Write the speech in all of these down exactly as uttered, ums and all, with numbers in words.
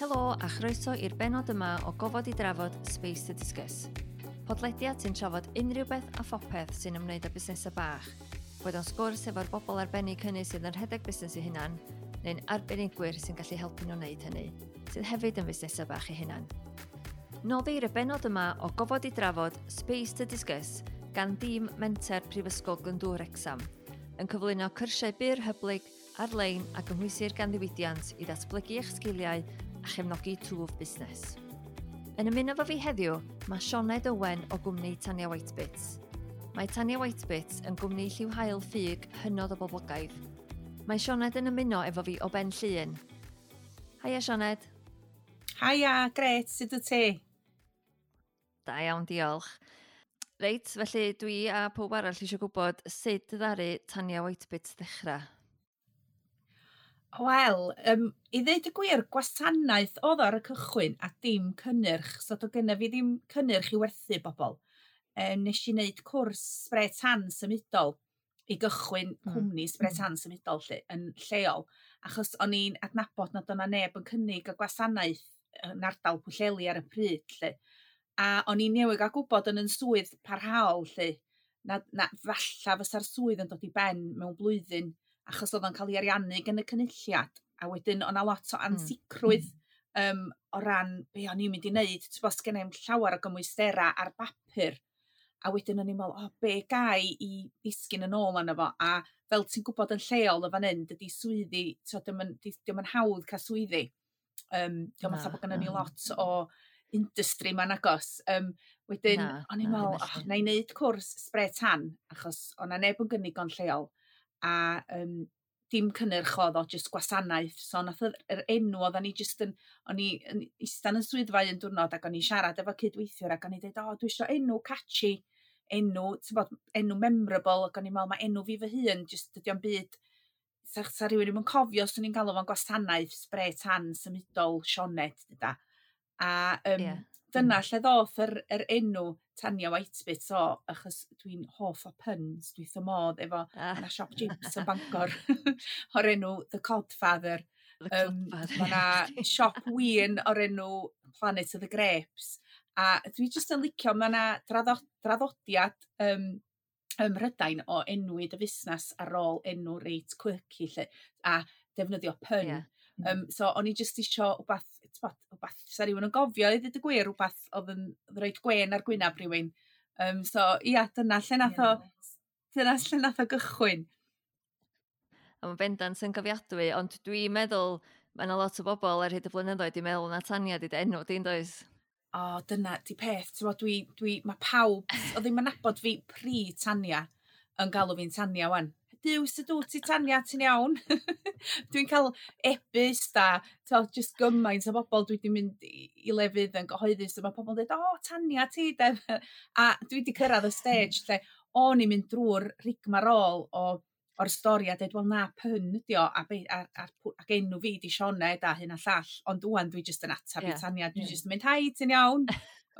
Helo a chroeso i'r benod yma o Gofod i Drafod Space to Discuss. Podlediad sy'n trafod unrhyw beth a phopeth sy'n ymwneud â busnesau bach. Boed o'n sgwrs efo'r bobl arbennig hynny sydd yn rhedeg busnes eu hunan, neu'n arbenigwyr sy'n gallu helpu nhw wneud hynny, sydd hefyd yn fusnesau bach eu hunan. Noddir y benod yma o Gofod i Drafod Space to Discuss gan dîm Menter Prifysgol Glyndŵr Wrecsam, yn cyflwyno cyrsiau byr hyblyg ar-lein a gymhwysir gan ddiwydiant i ddatblygu eich sgiliau a chefnogi twf busnes. Yn ymuno efo fi heddiw, mae Sioned Owen o gwmni Tania Whitebits. Mae Tania Whitebits yn gwmni lliw haul ffug hynod o boblogaidd. Mae Sioned yn ymuno efo fi o Ben Llŷn. Haia, Sioned. Haia, gret, sut wyt ti? Da iawn, diolch. Reit, felly dwi a pob arall eisiau gwybod sut ddaru Tania Whitebits ddechrau. Wel, um, i ddeud y gwir, gwasanaeth oedd ar y cychwyn a dim cynnyrch, so do gynna fi ddim cynnyrch i werthu bobl. Um, nes i wneud cwrs spray tan symudol i gychwyn mm. cwmni spray tan symudol lle, yn lleol, achos o'n i'n adnabod nad o'na neb yn cynnig y gwasanaeth yn ardal Pwllheli ar y pryd. Lle. A o'n i'n newydd gael gwybod yn yn swydd parhaol, lle, na, na falla fysa'r swydd yn dod i ben mewn blwyddyn, achos oedd o'n cael ei ariannu gan y Cynulliad. A wedyn o'na lot o hmm. ansicrwydd mm. um, o ran be o'n i'n mynd i wneud. Ti'n bod, sgen i'm llawer o gymwystera ar bapur. A wedyn o'n i'n meddwl, o, be gai i ddisgyn yn ôl arno fo? A fel ti'n gwybod yn lleol o fan hyn, dydy swyddi, dio'm yn, dio'm yn hawdd cael swyddi. Um, dio'm fatha bod gynnon ni lot o industry ma'n agos. Um, wedyn, o'n i'n meddwl, oh, na i wneud cwrs spray tan, achos o'na neb yn gynnig o'n lleol. A um, dim cynnyrch oedd o, jyst gwasanaeth. So nath yr enw oedden ni jyst yn, o'n i yn istan yn swyddfa un diwrnod ac o'n i'n siarad efo cydweithiwr ac o'n i'n dweud, o, dwi eisiau enw catchy, enw, ti'n bod, enw memorable, ac o'n i'n meddwl, mae enw fi fy hun, jyst dydy o'm byd, sa, sa rhywun ddim yn cofio, os o'n i'n galw fo'n gwasanaeth spray tan symudol Sioned, dyda. A um, yeah. dyna lle ddoth yr, yr enw Tania Whitebits o, achos dwi'n hoff o puns, dwi'n wrth modd efo ah. yna siop chips yn Bangor o'r enw The Codfather. The um, Mae yna siop win o'r enw Planet of the Grapes. A dwi jyst yn licio, mae yna draddodiad um, ym Mhrydain o enwi dy fusnes ar ôl enw reit quirky lle, a defnyddio pun. Yeah. Um, so o'n i jyst isio wbath, t'bod, wbath sa rhywun yn gofio i ddweud y gwir, wbath oedd yn rhoid gwên ar gwynab rhywun. Um, so ia, dyna lle nath o, dyna lle nath o gychwyn. A mae'n bendant yn gofiadwy, ond dwi'n meddwl mae yna lot o bobl ar hyd y blynyddoedd di meddwl na Tania di dy enw di'n does? O, dyna di peth, ti'n dwi, dwi, mae pawb, o ddim yn nabod fi pre Tania yn galw fi'n Tania wan. Duw, sut wyt ti Tania, ti'n iawn? Dwi'n cael e-byst a t'wel, just gymaint o bobl dwi wedi mynd i, i lefydd yn gyhoeddus a mae pobl yn dweud, o, Tania ti, de. A dwi wedi cyrraedd y stage lle o'n i'n mynd drwy'r rigmarole o o'r stori a dweud, wel na, pun ydi o, a, be, a, a, ac enw fi di Sioned a hyn a llall, ond ŵan dwi jyst yn atab yeah. i Tania, dwi yeah. jyst yn mynd, hai, ti'n iawn?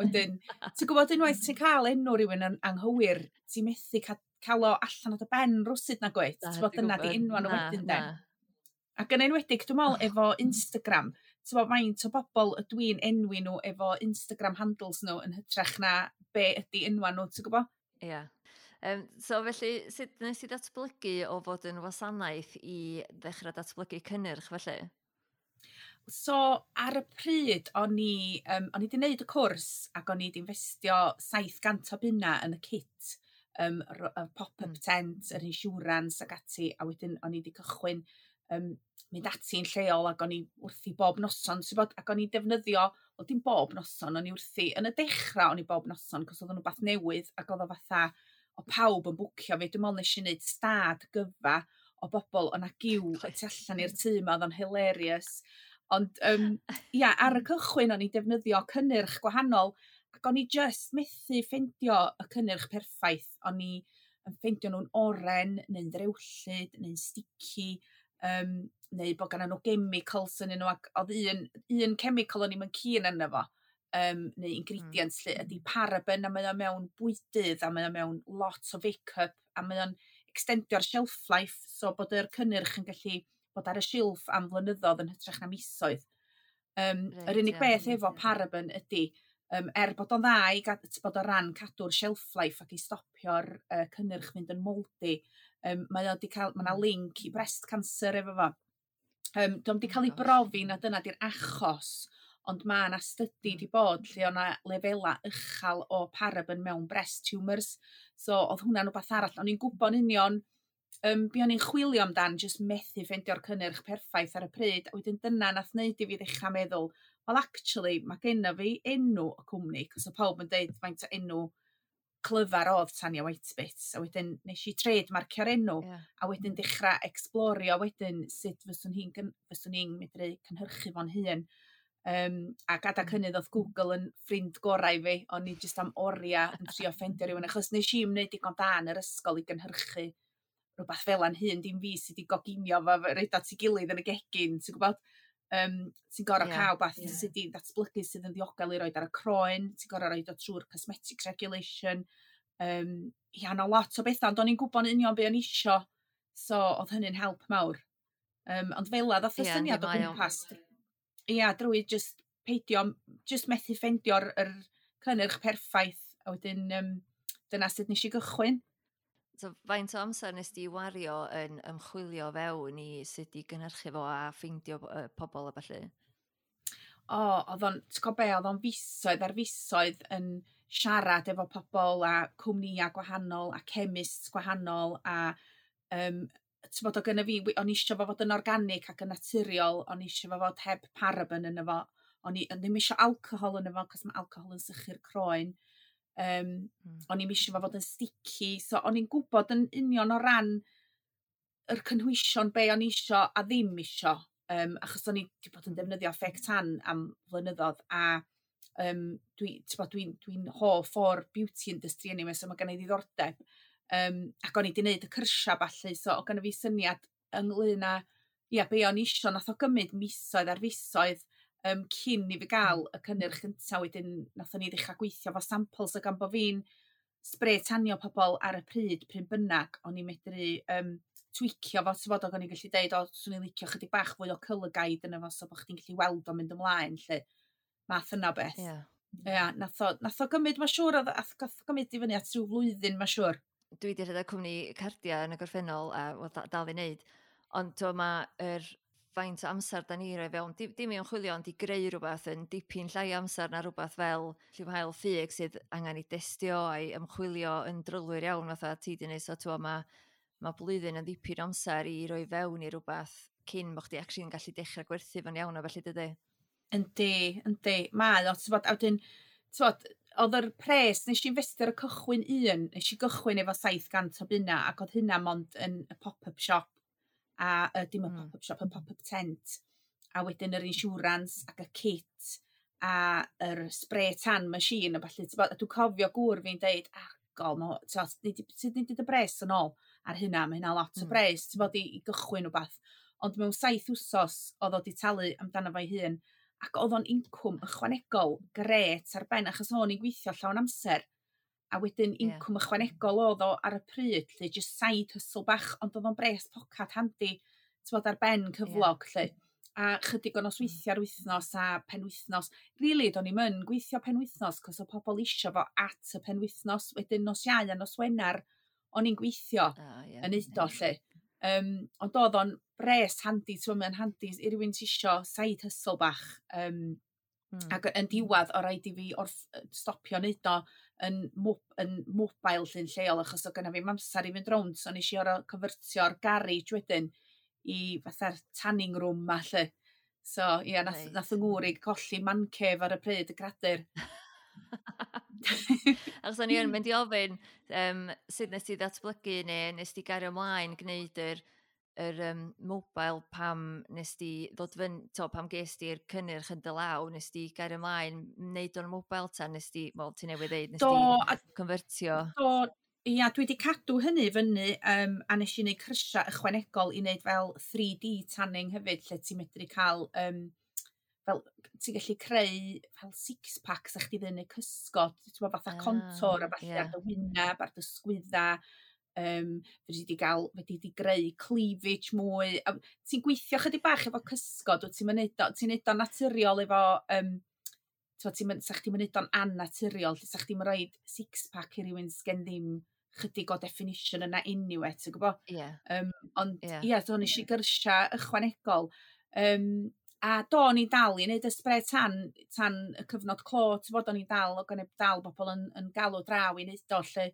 Wedyn, ti'n gwybod unwaith ti'n cael enw rhywun yn anghywir, ti'n methu ca cael o allan o dy ben rwsut na gwyt, ti'n gwybod dyna di enwa nhw wedyn de. Ac yn enwedig, dwi'n meddwl, efo Instagram, ti'n gwybod faint o bobl ydw i'n enwi nhw efo Instagram handles nhw yn hytrach na be ydy enwa nhw, ti'n gwybod? Ie. Yeah. Um, so felly, sut nes i datblygu o fod yn wasanaeth i ddechrau datblygu cynnyrch felly? So, ar y pryd, o'n i, um, o'n i wedi gwneud y cwrs ac o'n i wedi investio saith gant o bunna yn y kit, um, y pop-up mm. tent, yr insurance ac ati, a wedyn o'n i wedi cychwyn um, mynd ati'n lleol ac o'n i wrthi bob noson, ti'n bod, ac o'n i defnyddio, wel dim bob noson, o'n i wrthi, yn y dechrau o'n i bob noson, cos oedd o'n rhywbeth newydd ac oedd o fatha, o pawb yn bwcio fi, dwi'n meddwl nes i wneud stad gyfa o bobl, o'na giw y tu allan i'r tŷ ma, oedd o'n hilarious. Ond um, ia, ar y cychwyn o'n i defnyddio cynnyrch gwahanol, ac o'n i just methu ffeindio y cynnyrch perffaith. O'n i yn ffeindio nhw'n oren, neu'n ddrewllyd, neu'n sticky, um, neu bod gan nhw chemicals yn nhw, ac oedd un, un chemical o'n i'm yn keen arno fo, um, neu ingredients mm. lle, ydy paraben, a mae o mewn bwydydd, a mae o mewn lot o make-up, a mae o'n extendio'r shelf life, so bod yr cynnyrch yn gallu bod ar y silff am flynyddoedd yn hytrach na misoedd. Um, right, yr unig yeah, beth efo paraben ydy, um, er bod o'n dda i gad, bod o ran cadw'r shelf life ac i stopio'r uh, cynnyrch fynd yn mouldy, um, mae o 'di cael, mae yna mm. link i breast cancer efo fo. Um, Dio'm 'di cael ei brofi na dyna di'r achos, ond mae yna study 'di bod lle o'na lefela uchel o paraben mewn breast tumours. So oedd hwnna'n rhywbeth arall. O'n i'n gwybod yn union um, be o'n i'n chwilio amdan, jyst methu ffeindio'r cynnyrch perffaith ar y pryd. A wedyn dyna nath wneud i fi ddechrau meddwl, well, actually, mae genna fi enw y cwmni, cos o pawb yn deud faint o enw clyfar oedd Tanya Whitebits, a wedyn nes i trademarkio'r enw, yeah. a wedyn dechrau explorio wedyn sut fyswn hi'n fyswn i'n medru cynhyrchu fo'n hun. Um, ac adag hynny oedd Google yn ffrind gorau i fi, o'n i jyst am oriau yn trio ffeindio rhywun, achos nes i'm wneud digon da yn yr ysgol i gynhyrchu rhywbeth fel a'n hun, dim fi sydd wedi goginio fo, roid at ei gilydd yn y gegin, ti'n gwybod? Um, ti'n gorfod yeah, cael beth yeah. sydd wedi datblygu sydd yn ddiogel i roed ar y croen, ti'n gorfod roed o trwy'r cosmetics regulation. Um, ia, 'na lot o bethau, ond o'n i'n gwybod yn union be o'n isio, so oedd hynny'n help mawr. Um, ond fel 'a ddoth y yeah, syniad o gwmpas. Ia, drwy just peidio, just methu ffeindio'r yr cynnyrch perffaith, a wedyn um, dyna sut nes i gychwyn. So, faint o amser nes di wario yn ymchwilio fewn i sut i gynhyrchu fo a ffeindio uh, pobl a ballu? O, oedd o'n, ti'n gwybod be, oedd o'n fisoedd ar fisoedd yn siarad efo pobl a cwmnïau gwahanol a chemists gwahanol a um, ti'n bod o gynna fi, o'n i eisiau fo fod yn organic ac yn naturiol, o'n i eisiau fo fod heb paraben yn efo, o'n i ddim eisiau alcohol yn efo, cos mae alcohol yn sychu'r croen. Um, mm. O'n i'm eisiau fo fod yn sticky, so o'n i'n gwybod yn union o ran yr cynhwysion be o'n i isio a ddim isio, um, achos o'n i wedi bod yn defnyddio fake tan am flynyddoedd, a um, dwi, dwi'n dwi, dwi hoff o'r beauty industry anyway, so mae gen i ddiddordeb. Um, ac o'n i wedi gwneud y cyrsia ballu, so o gynna fi syniad ynglyn â, ia, be o'n i isio, nath o gymryd misoedd ar fisoedd um, cyn i fi gael y cynnyrch gyntaf, wedyn nathon ni ddechrau gweithio fo samples, o gan bo fi'n spray tanio pobl ar y pryd, pryn bynnag, o'n i'n medru um, tweakio fo, ti'n bod, o'n i'n gallu deud, o, swn i'n licio chydig bach fwy o colour guide yna fo, so bod chdi'n gallu weld o'n mynd ymlaen, lle, math yna beth. Yeah. Ia, nath o, nath o gymryd, mae'n siŵr, oedd- nath o gymryd i fyny at rhyw flwyddyn, mae'n siŵr. Dwi wedi rhedeg cwmni cardiau yn y gorffennol a wel, da- dal i wneud, ond to mae'r faint o amser da ni roi fewn, dim, dim i ymchwilio, ond i greu rhywbeth yn dipyn llai o amser na rhywbeth fel lliw haul ffug sydd angen i destio a'i ymchwilio yn drylwyr iawn fatha ti di wneud, so t'wo, mae ma blwyddyn yn ddipyn o amser i roi fewn i rhywbeth cyn bod chdi actually yn gallu dechrau gwerthu fo'n iawn o felly dydy. Yndi, yndi. Mae o, ti'n bod, a wedyn, ti'n bod, oedd yr pres, nes i investio ar y cychwyn un, nes i gychwyn efo saith cant o bunna, ac oedd hynna mond yn y pop-up shop, a uh, dim y Mm. pop-up shop, y pop-up tent, a wedyn yr insurance ac y kit, a yr spray tan machine, a ballu, ti'n bod, a dwi'n cofio gŵr fi'n deud, ah, gol, ma, ti'n bod, ni 'di- sut ni 'di dy bres yn ôl ar hynna, mae hynna lot o Mm. bres, ti'n bod, i, i gychwyn wbath. Ond mewn saith wsos oedd o 'di talu amdano fo'i hun, ac oedd o'n incwm ychwanegol gret ar ben, achos o'n i'n gweithio llawn amser. A wedyn Ie. incwm ychwanegol oedd o ar y pryd, lle just side hustle bach, ond oedd o'n bres pocad handi, ti'n bod, ar ben cyflog, lle. A chydig o nosweithiau ar wythnos a penwythnos. Really, do'n i'm yn gweithio penwythnos, cos oedd pobl isio fo at y penwythnos. Wedyn nos Iau a nos Wener, o'n i'n gweithio Ah, ie. yn neud o, lle. Um, ond oedd o'n bres handi, ti'n gwbod, mae'n handi i rywun sy isio side hustle bach. Um, Mm. Ac yn diwedd, o raid i fi orff, stopio neud o yn, mob, yn mobile lle'n lleol, achos o gynna fi'm amser i fynd rownd, so nes i orfod convertio'r garage wedyn i fatha'r tanning room ma, lle. So, ia, nath, Reit. nath yng ngŵr i colli man cave ar y pryd, y gradur. Achos o'n i yn mynd i ofyn um, sut nes ti ddatblygu neu nes ti gario ymlaen gwneud yr, yr um, mobile pam nes ti ddod fyny, to, pam ges ti'r cynnyrch yn dy law, nes ti gario ymlaen wneud o'n mobile ta nes ti, wel, ti newydd ddeud, nes Do, ti a convertio. Do, ia, dwi wedi cadw hynny fyny, um, a nes i wneud cyrsiau ychwanegol i wneud fel three D tanning hefyd, lle ti'n medru cael, um, fel, ti'n gallu creu fel six packs a chdi ddyn neu cysgod, ti'n gwbod, fatha Ah, contour a falle ie. ar dy wyneb, ar dy sgwydda, Um, fedri di gael, fedri di greu cleavage mwy. A ti'n gweithio chydig bach efo cysgod, wyt ti'n mynd o, ti'n neud o'n naturiol efo, um, ti'n mynd, sa chdi'n mynd o'n annaturiol, lle sa chdi'n rhoid six-pack i rywun sgen ddim chydig o definition yna anyway, ti'n gwybod? Ie. Yeah. Um, ond ie, yeah. yeah, so nes i gyrsia ychwanegol. Um, a do, o'n i'n dal i wneud y spray tan, tan y cyfnod clo, ti'n bod, o'n i'n dal, o gan dal bobl yn, yn galw draw i wneud o, lle.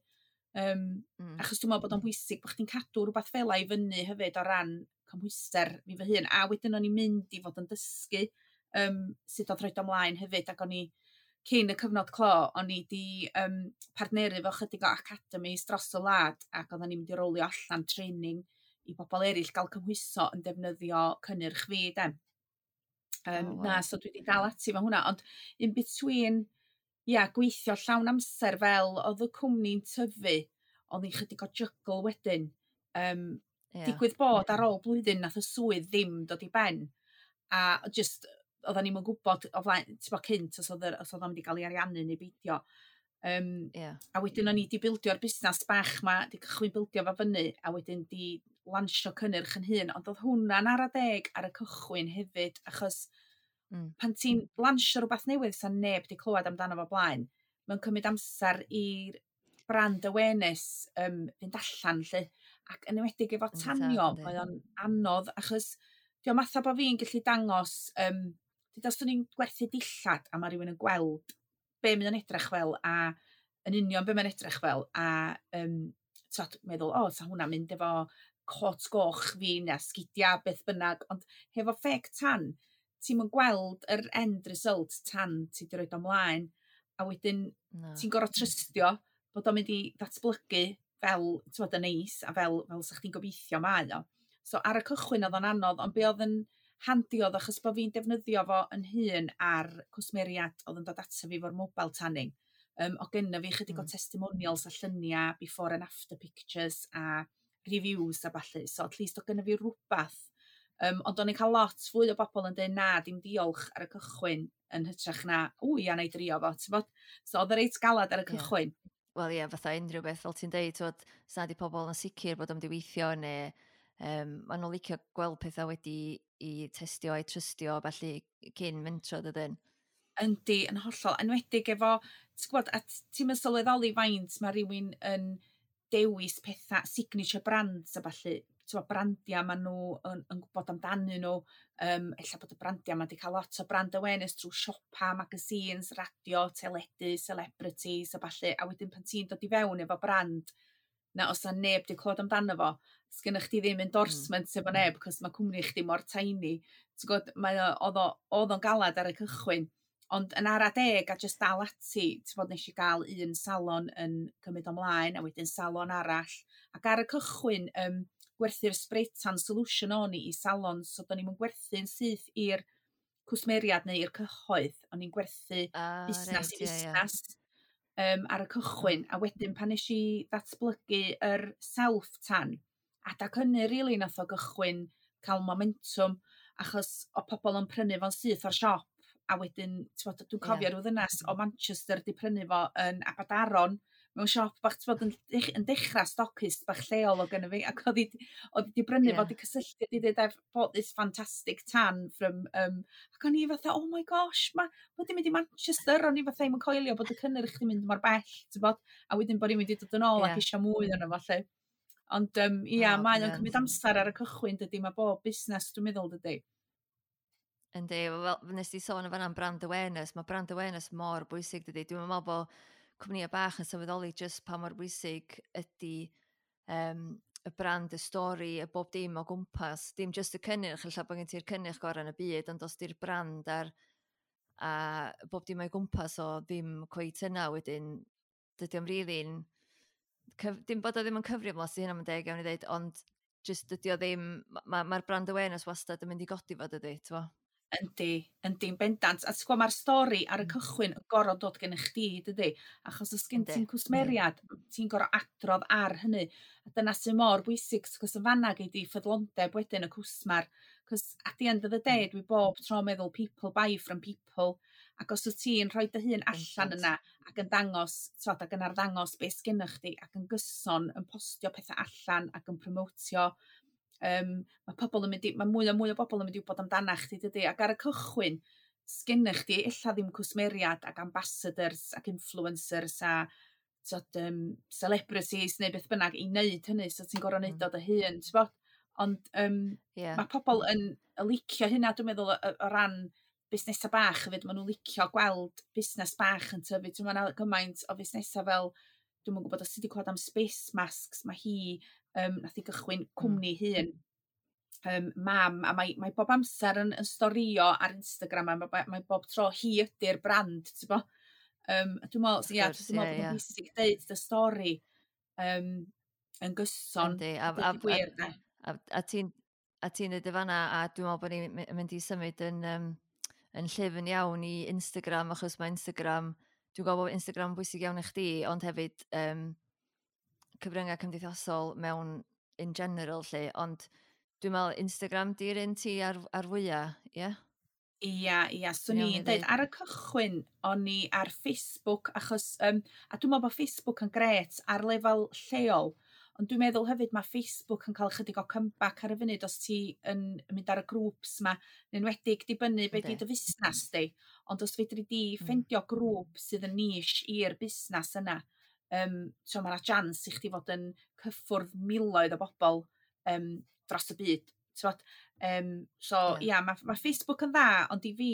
Um, mm. Achos dwi'n meddwl bod o'n bwysig bod chdi'n cadw rhywbeth fel i fyny hefyd o ran cymhwyster fi fy hun. A wedyn o'n i'n mynd i fod yn dysgu um, sut oedd rhoid ymlaen hefyd, ac o'n i cyn y cyfnod clo, o'n i di um, partneru efo chydig o academies dros y wlad, ac oedden ni'n mynd i rolio allan training i bobl eraill gael cymhwyso yn defnyddio cynnyrch fi, de. Um, oh, wow. Na, so dwi wedi dal ati efo hwnna, ond in between, ia, gweithio llawn amser fel oedd y cwmni'n tyfu, oedd hi'n chydig o juggle wedyn. Um, yeah. Digwydd bod ar ôl blwyddyn nath y swydd ddim dod i ben. A just, oedden ni'm yn gwybod o flaen, ti'n bod cynt, os oedd, os oedd o'n mynd i gael ei ariannu neu beidio. Um, yeah. A wedyn o'n i di bildio'r busnes bach ma, di cychwyn bildio fo fyny, a wedyn di lansio cynnyrch yn hun, ond oedd hwnna'n ara deg ar y cychwyn hefyd, achos mm. pan ti'n lansio rhywbeth newydd sa neb di clywed amdano fo blaen, mae'n cymryd amser i'r brand awareness um, fynd allan, lle. Ac yn enwedig efo tanio, mae o'n anodd, achos diolch matha bod fi'n gallu dangos, um, dyd os dwi'n gwerthu dillad a mae rhywun yn gweld be mae o'n edrych fel a yn union be mae'n edrych fel a um, t'od, meddwl, o, sa hwnna'n mynd efo cot goch fi neu sgidia, beth bynnag, ond hefo fake tan, ti'n mynd gweld yr end result tan ti di roid ymlaen, a wedyn no. ti'n gorfod trystio bod o'n mynd i ddatblygu fel, ti'n bod, yn neis, a fel, fel sa chdi'n gobeithio mae o. So ar y cychwyn oedd o'n anodd, ond be oedd yn handi oedd achos bod fi'n defnyddio fo yn hun ar cwsmeriad oedd yn dod ato fi efo'r mobile tanning. Um, o gynna fi chydig mm. o testimonials a lluniau, before and after pictures a reviews a ballu. So at least o gynna fi rhywbeth. Um, ond o'n i'n cael lot fwy o bobl yn dweud na, dim diolch ar y cychwyn yn hytrach na, ww, ia, na i drio fo, ti'n bod? So oedd y reit galad ar y cychwyn. Yeah. Wel ie, yeah, fatha unrhyw beth, fel ti'n deud, twod, sa di pobl yn sicr bod o'n mynd i weithio neu um, maen nhw'n licio gweld pethau wedi i testio a'i trystio, felly cyn mentro dydyn. Yndi, yn hollol. Enwedig efo, ti'n gwybod, a ti'n mynd sylweddoli faint mae rhywun yn dewis pethau, signature brands a ballu, ti'n gwybod, brandiau maen nhw yn, yn gwybod amdanyn nhw, um, ella bod y brandiau ma wedi cael lot o brand awareness trwy siopa, magazines, radio, teledu, celebrities a ballu, a wedyn pan ti'n dod i fewn efo brand, na os na neb di clywed amdano fo, sgynnych chdi ddim endorsement mm. efo neb, cos mae cwmni chdi mor tiny. Ti'n gwybod, mae o, oedd o'n galad ar y cychwyn. Ond yn ara deg a just dal ati, ti'n bod, nes i gael un salon yn cymryd ymlaen, a wedyn salon arall. Ac ar y cychwyn, um, gwerthu'r spray tan solution o'n i i salon, so do'n i'm yn gwerthu'n syth i'r cwsmeriad neu i'r cyhoedd, o'n i'n gwerthu ah, busnes reit, i ie, ie. busnes um, ar y cychwyn. A wedyn pan nes i ddatblygu yr self-tan, adag hynny rili nath o gychwyn cael momentum, achos o pobl yn prynu fo'n syth o'r siop, a wedyn, ti'n bod, dwi'n cofio Ie. rhyw ddynas o Manchester di prynu fo yn Aberdaron, mewn siop bach, ti'n bod, yn, dech- yn dechrau stockist bach lleol o gynna fi, ac oedd hi oedd hi di brynu Ie. fo, di cysylltu, di dweud, "I've bought this fantastic tan from," um, ac o'n i fatha, "Oh my gosh, ma, ma di mynd i Manchester," o'n i fatha i'm yn coelio bod y cynnyrch di mynd mor bell, ti'n bod, a wedyn bod hi'n mynd i dod yn ôl Ie. ac eisiau mwy ono fo, lle. Ond um, ia, O, mae o'n brilliant. cymryd amser ar y cychwyn, dydy, mae bob busnes, dwi'n meddwl, dydy. Yndi, fel nes di sôn yn fan'na am brand awareness, mae brand awareness mor bwysig dydy. Dwi'n meddwl bod cwmnïau bach yn sylweddoli just pa mor bwysig ydy um, y brand, y stori, y bob dim o gwmpas. Dim just y cynnyrch, ella bod gen ti'r cynnyrch gorau yn y byd, ond os di'r brand ar, a bob dim o'i gwmpas o ddim cweit yna wedyn, dydy o'm really'n cyf, dim bod o ddim yn cyfri am lot, hynna'n deg iawn i ddeud, ond just dydy o ddim, mae'r ma brand awareness wastad yn mynd i godi fo dydy, t'mo? Yndi, yndi'n bendant. A ti'n gwybod, mae'r stori ar y Mm. cychwyn yn gorfod dod gen chdi, dydy? Achos os gen Yndi. ti'n cwsmeriad, ti'n gorfod adrodd ar hynny. A dyna sy'n mor bwysig, cos yn fanna gei di ffyddlondeb wedyn y cwsmer. Cos at the end of the day, dwi bob tro meddwl people buy from people. Ac os wyt ti'n rhoi dy hun allan yna ac yn dangos, t'wod, ac yn arddangos beth sgennych chdi ac yn gyson yn postio pethau allan ac yn promotio, um, mae pobl yn mynd i, mae mwy a mwy o bobl yn mynd i wybod amdana chdi, dydy? Ac ar y cychwyn, sgennych chdi ella ddim cwsmeriad ac ambassadors ac influencers a, t'wod, um, celebrities neu beth bynnag i wneud hynny, so ti'n gorfod neud mm. o dy hun, t'bo? Ond um, yeah. mae pobl yn licio hynna, dwi'n meddwl, o, o ran busnesau bach hefyd, maen nhw'n licio gweld busnes bach yn tyfu. Dwi'n meddwl gymaint o fusnesau fel, dwi'n gwybod os ti wedi clywed am Space Masks, mae hi, um, nath i gychwyn cwmni mm. hun, um, mam, a mae, mae bob amser yn, yn storio ar Instagram, a mae, mae bob tro hi ydy'r brand, ti'n bo? Um, dwi'n meddwl, ia, dwi'n meddwl bod yn bwysig deud dy stori um, yn gyson. Yndi, a, a, gwir, a, a, a ti'n a ti'n dweud y fanna, a dwi'n meddwl bod ni'n mynd i symud yn, um, yn llyfn iawn i Instagram, achos mae Instagram, dwi'n gwybod bod Instagram yn bwysig iawn i chdi, ond hefyd um, cyfryngau cymdeithasol mewn in general lle, ond dwi'n meddwl Instagram di'r un ti ar, ar fwyaf, ie? Yeah? Ia, ia, swn i'n dweud, ar y cychwyn, o'n i ar Facebook, achos, um, a dwi'n meddwl bod Facebook yn gret ar lefel lleol, ond dwi'n meddwl hefyd mae Facebook yn cael chydig o comeback ar y funud os ti yn mynd ar y grŵps ma, yn enwedig dibynnu be di dy fusnes di, ond os fedri di mm. ffeindio grŵp sydd yn niche i'r busnes yna, um, so mae yna chance i chdi fod yn cyffwrdd miloedd o bobl um, dros y byd. T'wod? Um, so ia, yeah, mae ma Facebook yn dda, ond i fi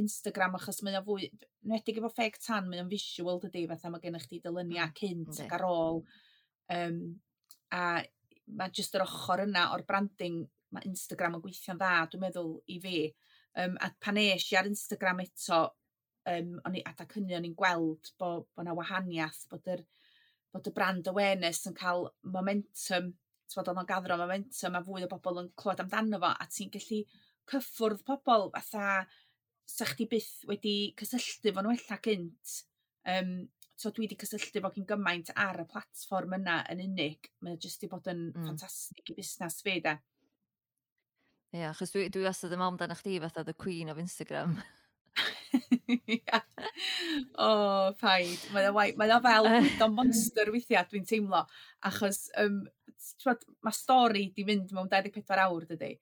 Instagram, achos mae o fwy, enwedig efo fake tan, mae o'n visual dydy, fatha mae gennych chdi dyluniau mm, cynt ac ar ôl. Um, a mae jyst yr ochr yna o'r branding, mae Instagram yn gweithio'n dda, dwi'n meddwl, i fi. Um, a pan es i ar Instagram eto, um, o'n i, adag hynny o'n i'n gweld bod bo 'na wahaniaeth, bod yr, bod y brand awareness yn cael momentum, t'mod, oedd o'n gathro momentum a fwy o bobl yn clywed amdano fo, a ti'n gallu cyffwrdd pobl fatha sa chdi byth wedi cysylltu fo nhw ella gynt. Um, so dwi wedi cysylltu fo gyn gymaint ar y platfform yna yn unig. Mae o jyst 'di bod yn mm. ffantastig i busnes fi, de. Ie, yeah, achos dwi, dwi wastad yn meddwl amdano chdi fatha the queen of Instagram. Ia. O, paid. Mae o, mae o fel bwydo monster weithiau, dwi'n teimlo. Achos um, t'mod, mae stori di mynd mewn dau ddeg pedwar awr, dydy?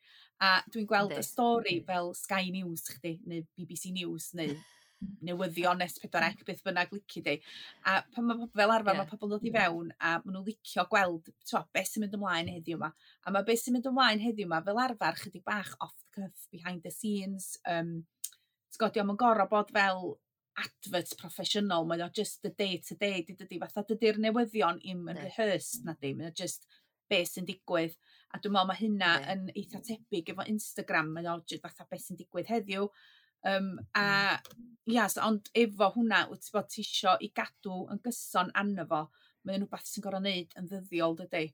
A dwi'n gweld y stori fel Sky News chdi, neu B B C News, neu newyddion S pedwar C, beth bynnag lici di. A pan mae fel arfer, yeah. mae pobl yn dod i fewn a maen nhw'n licio gweld, t'mo, beth sy'n mynd ymlaen heddiw yma. A mae beth sy'n mynd ymlaen heddiw yma fel arfer chydig bach off the cuff, behind the scenes. Um, Ti'n gwybod, dio'm yn gorfod bod fel advert proffesiynol, mae o just the day to day, di dydy, fatha dydy'r newyddion i'm yn rehearsed na di, mae o just beth sy'n digwydd. A dwi'n meddwl mae hynna yn eitha tebyg efo Instagram, mae o just fatha beth sy'n digwydd heddiw. Um, a mm. ia, so, ond efo hwnna, wyt ti bod ti isio i gadw yn gyson arno fo, mae'n rhywbeth sy'n gorfod wneud yn ddyddiol, dydy.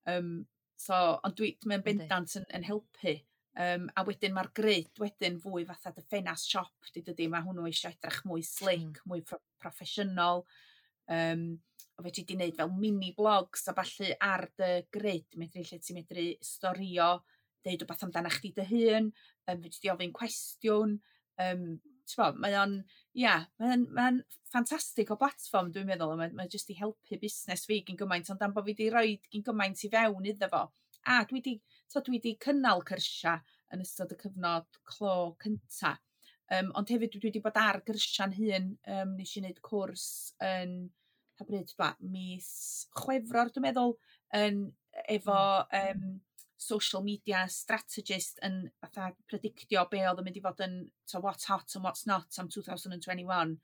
Um, so, ond dwi, mae'n bendant yn, yn helpu. Um, a wedyn mae'r grid wedyn fwy fatha dy ffenast siop, di dydy, mae hwnnw eisiau edrych mwy slick, mm. mwy pro proffesiynol. Um, o fedri di wneud fel mini blogs a ballu ar dy grid, medru lle ti'n medru storio, deud rhywbeth amdana chdi dy hun, um, fedri di ofyn cwestiwn. Um, t'bo, mae o'n, ia, mae o'n, mae o'n ffantastig o platfform, dwi'n meddwl, a mae, mae jyst i helpu busnes fi gyn gymaint, ond am bod fi di roid gyn gymaint i fewn iddo fo. A dwi di, t'o, dwi di cynnal cyrsia yn ystod y cyfnod clo cynta. Um, ond hefyd dwi wedi bod ar gyrsiau'n hun, um, nes i wneud cwrs yn, pa bryd, dwa, mis Chwefror, dwi'n meddwl, yn, efo um, social media strategist yn fatha predictio be oedd yn mynd i fod yn so what's hot and what's not am dwy fil dau ddeg un.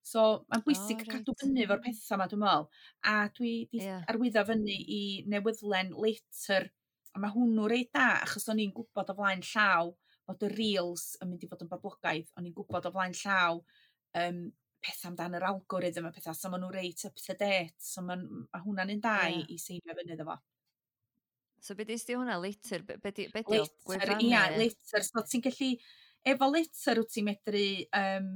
So mae'n bwysig oh, right. cadw fyny efo'r pethau yma, dwi'n meddwl. A dwi di yeah. arwyddo fyny i newyddlen Later, a mae hwnnw reit da, achos o'n i'n gwybod o flaen llaw bod y Reels yn mynd i fod yn boblogaidd. O'n i'n gwybod o flaen llaw um, pethau amdan yr algorithm a pethau, so maen nhw reit up to date. So ma, ma hwnna'n un da yeah. i, i seinio fyny iddo fo. So be di hwnna, Later? Be, be, di, be di Later, ia, Later. So ti'n gallu, efo Later wyt ti'n medru um,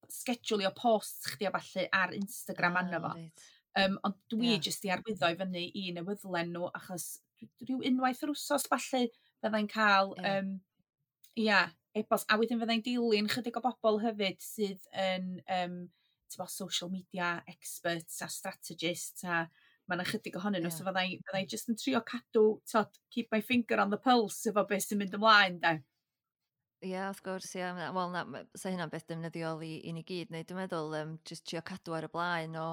schedulio posts chdi a ballu ar Instagram ah, arno fo. Right. Um, ond dwi yeah. jyst i arwyddo i fyny i newyddlen nhw, achos rhyw unwaith yr wsos falle byddai'n cael, yeah. um, ia, e-bost. A wedyn fyddai'n dilyn chydig o bobl hefyd sydd yn um, bo, social media experts a strategists, a mae yna chydig ohonyn nhw, yeah. So fyddai, fyddai just yn trio cadw, tod, keep my finger on the pulse efo beth sy'n mynd ymlaen, de. Ie, yeah, wrth gwrs, ie. Yeah. Wel, na, sa hynna'n beth defnyddiol i, i ni gyd. Neu dwi'n meddwl, um, just trio cadw ar y blaen o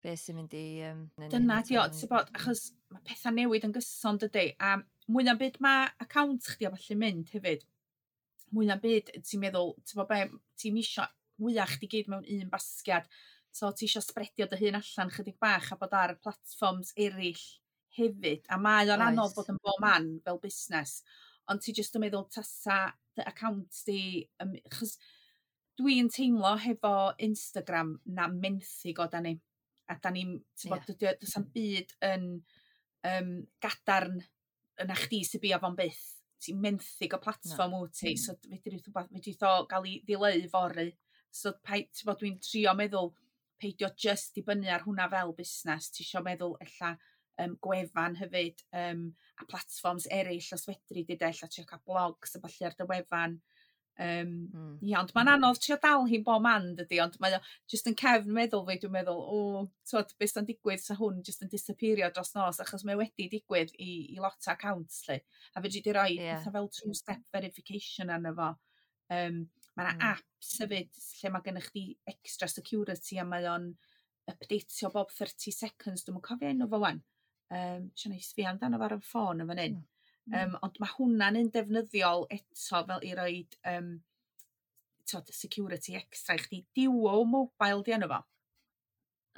beth sy'n mynd i... Um, Dyna di o, ti'n bod, achos mae pethau newid yn gyson, dydy, a mwy na'n byd mae account chdi a falle mynd hefyd, mwy na'n byd ti'n meddwl, ti'n bod be, ti'n isio wyau chdi gyd mewn un basgiad, so ti isio spreadio dy hun allan chydig bach a bod ar platforms eraill hefyd, a mae o'n anodd bod yn bob man fel busnes, ond ti jyst yn meddwl tasa dy account di, um, achos dwi'n teimlo hefo Instagram na menthyg o da ni, a da ni'n, ti'n bod, yeah. Does am byd yn um, gadarn yna chdi sy'n bia fo'n byth. Ti'n menthyg o platfform wyt ti, so fedri fedri o gael ei ddileu fory. So ti'n bod, dwi'n trio meddwl peidio just dibynnu ar hwnna fel busnes. Ti isio meddwl ella um, gwefan hefyd um, a platforms eraill os fedri di de, ella trio cael blogs a ballu ar dy wefan. Um, mm. Ia, ond mae'n anodd trio dal hi'n bob man, dydy, ond mae o just yn cefn meddwl fi, dwi'n meddwl, o, twod, beth sy'n digwydd sa hwn just yn disappeario dros nos, achos mae wedi digwydd i, i lot o accounts, lle. A fedri di roi yeah. pethau fel two-step verification arno fo. Um, mae yna mm. apps hefyd lle mae gennych chdi extra security a mae o'n updateio bob thirty seconds, dwi'n cofio enw fo wan. Um, Isio neud sbio amdano fo ar y ffôn yn fan hyn. Mm. Um, ond mae hwnna'n un defnyddiol eto fel i roed um, tod, security extra i chdi. Duo Mobile di enw fo.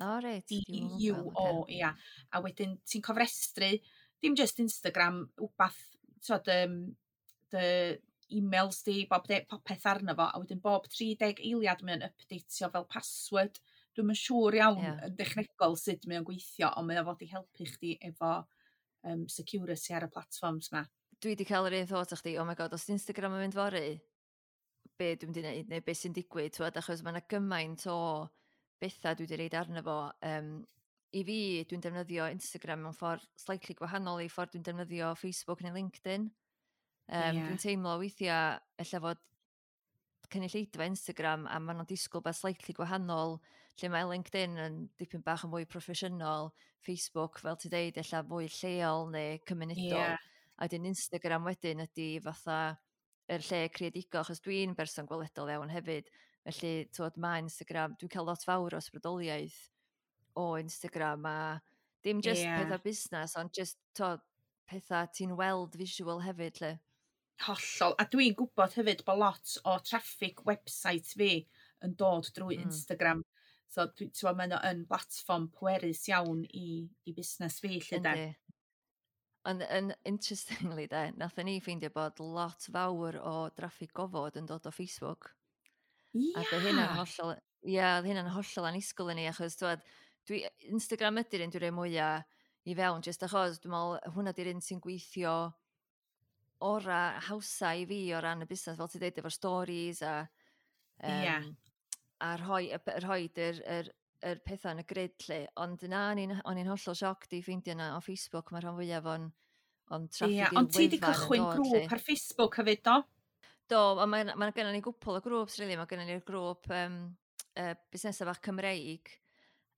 O, oh, reit. D U O, ia. A wedyn ti'n cofrestru, dim just Instagram, wbath, tod, um, dy emails di, bob de, popeth arno fo, a wedyn bob tri deg eiliad mae'n updateio fel password. Dwi'm yn siŵr iawn yeah. yn dechnegol sut mae o'n gweithio, ond mae o fod i helpu chdi efo um, security ar y platforms ma. Dwi wedi cael yr un thought â chdi, oh my God, os Instagram yn mynd fory, be dwi'n mynd i wneud, neu be sy'n digwydd, twad, achos mae yna gymaint o bethau dwi wedi reid arno fo. Um, I fi, dwi'n defnyddio Instagram mewn ffordd slightly gwahanol i ffordd dwi'n defnyddio Facebook neu LinkedIn. Um, yeah. Dwi'n teimlo weithiau, ella fod cynulleidfa Instagram a maen nhw'n disgwyl beth slightly gwahanol, lle mae LinkedIn yn dipyn bach yn fwy proffesiynol, Facebook, fel ti deud, ella fwy lleol neu cymunedol. Yeah. A wedyn Instagram wedyn ydy fatha yr lle creadigol, achos dwi'n berson gweledol iawn hefyd. Felly, twod, mae Instagram, dwi'n cael lot fawr o ysbrydoliaeth o Instagram a dim just yeah. pethau busnes, ond just twod, pethau ti'n weld visual hefyd, lle. Hollol. A dwi'n gwybod hefyd bod lot o traffic website fi yn dod drwy mm. Instagram. So, dwi, ti'n gwbod, mae yn platform pwerus iawn i, i busnes fi, lle de. Ond yn interestingly de, nathon ni ffeindio bod lot fawr o draffig gofod yn dod o Facebook. Ia! A oedd hynna'n hollol, ia, oedd hynna'n hollol annisgwyl i ni, achos twad, dwi, Instagram ydy'r un dwi'n rhoi mwyaf i fewn, jyst achos dwi'n meddwl hwnna di'r un sy'n gweithio ora hawsa i fi o ran y busnes, fel ti'n dweud, efo'r stories a, um, yeah. a rhoi, rhoi yr, yr, yr pethau yn y grid lle. Ond na, o'n i'n hollol sioc di ffeindio na o Facebook, mae rhan fwyaf o'n, on traffig yeah, ond ti di cychwyn grŵp ar Facebook hefyd, do? Do, ond mae, mae gennym ni gwpl o grŵps, really. Mae gennym ni'r grŵp um, uh, busnesau bach Cymreig,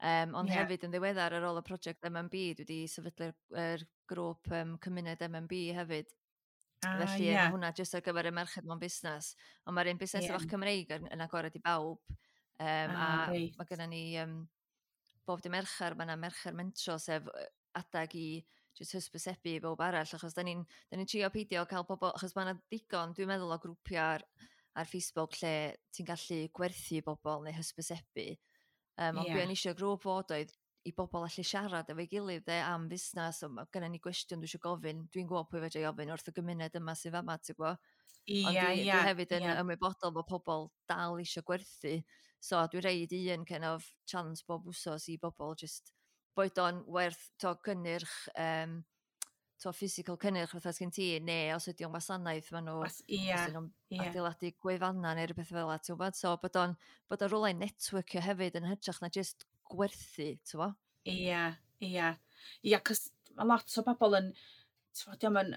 um, ond yeah. hefyd yn ddiweddar ar ôl y prosiect M M B, dwi wedi sefydlu'r er grŵp um, cymuned M M B hefyd. Ah, Felly yeah. hwnna jyst ar gyfer y merched mewn busnes. Ond mae'r un busnes yeah. bach Cymreig yn, yn agored i bawb. Um, ah, a reit. mae gennym ni um, bob dim Mercher, mae yna Mercher Mentro, sef adag i jyst hysbysebu i bawb arall, achos da ni'n ni trio peidio cael pobl, achos mae yna digon, dwi'n meddwl, o grwpiau ar, ar Facebook lle ti'n gallu gwerthu bobl neu hysbysebu. Um, ond yeah. be o'n eisiau grŵp fod oedd i bobl allu siarad efo'i gilydd de, am fusnes, so mae gennym ni gwestiwn dwi eisiau gofyn, dwi'n gwybod pwy fedra i ofyn wrth y gymuned yma sydd fama, ti'n gwybod? Ia, Ond dwi, ia, dwi hefyd yn ia. ymwybodol bod pobl dal eisiau gwerthu, so dwi'n reid un kind of chance bob wsos i bobl just boed o'n werth to gynnyrch, um, to physical cynnyrch fatha sgyn ti, neu os ydy o'n wasanaeth, maen nhw, Was, ia, os ydyn nhw'n ia. adeiladu gwefanna neu rhywbeth fel 'na, ti'n gwybod? So bod o'n, bod o'n rhywle networkio hefyd yn hytrach na just gwerthu, ti'n gwybod? Ia, ia. Ia, cos mae lot o bobl yn, ti'n gwbod, dio'm yn,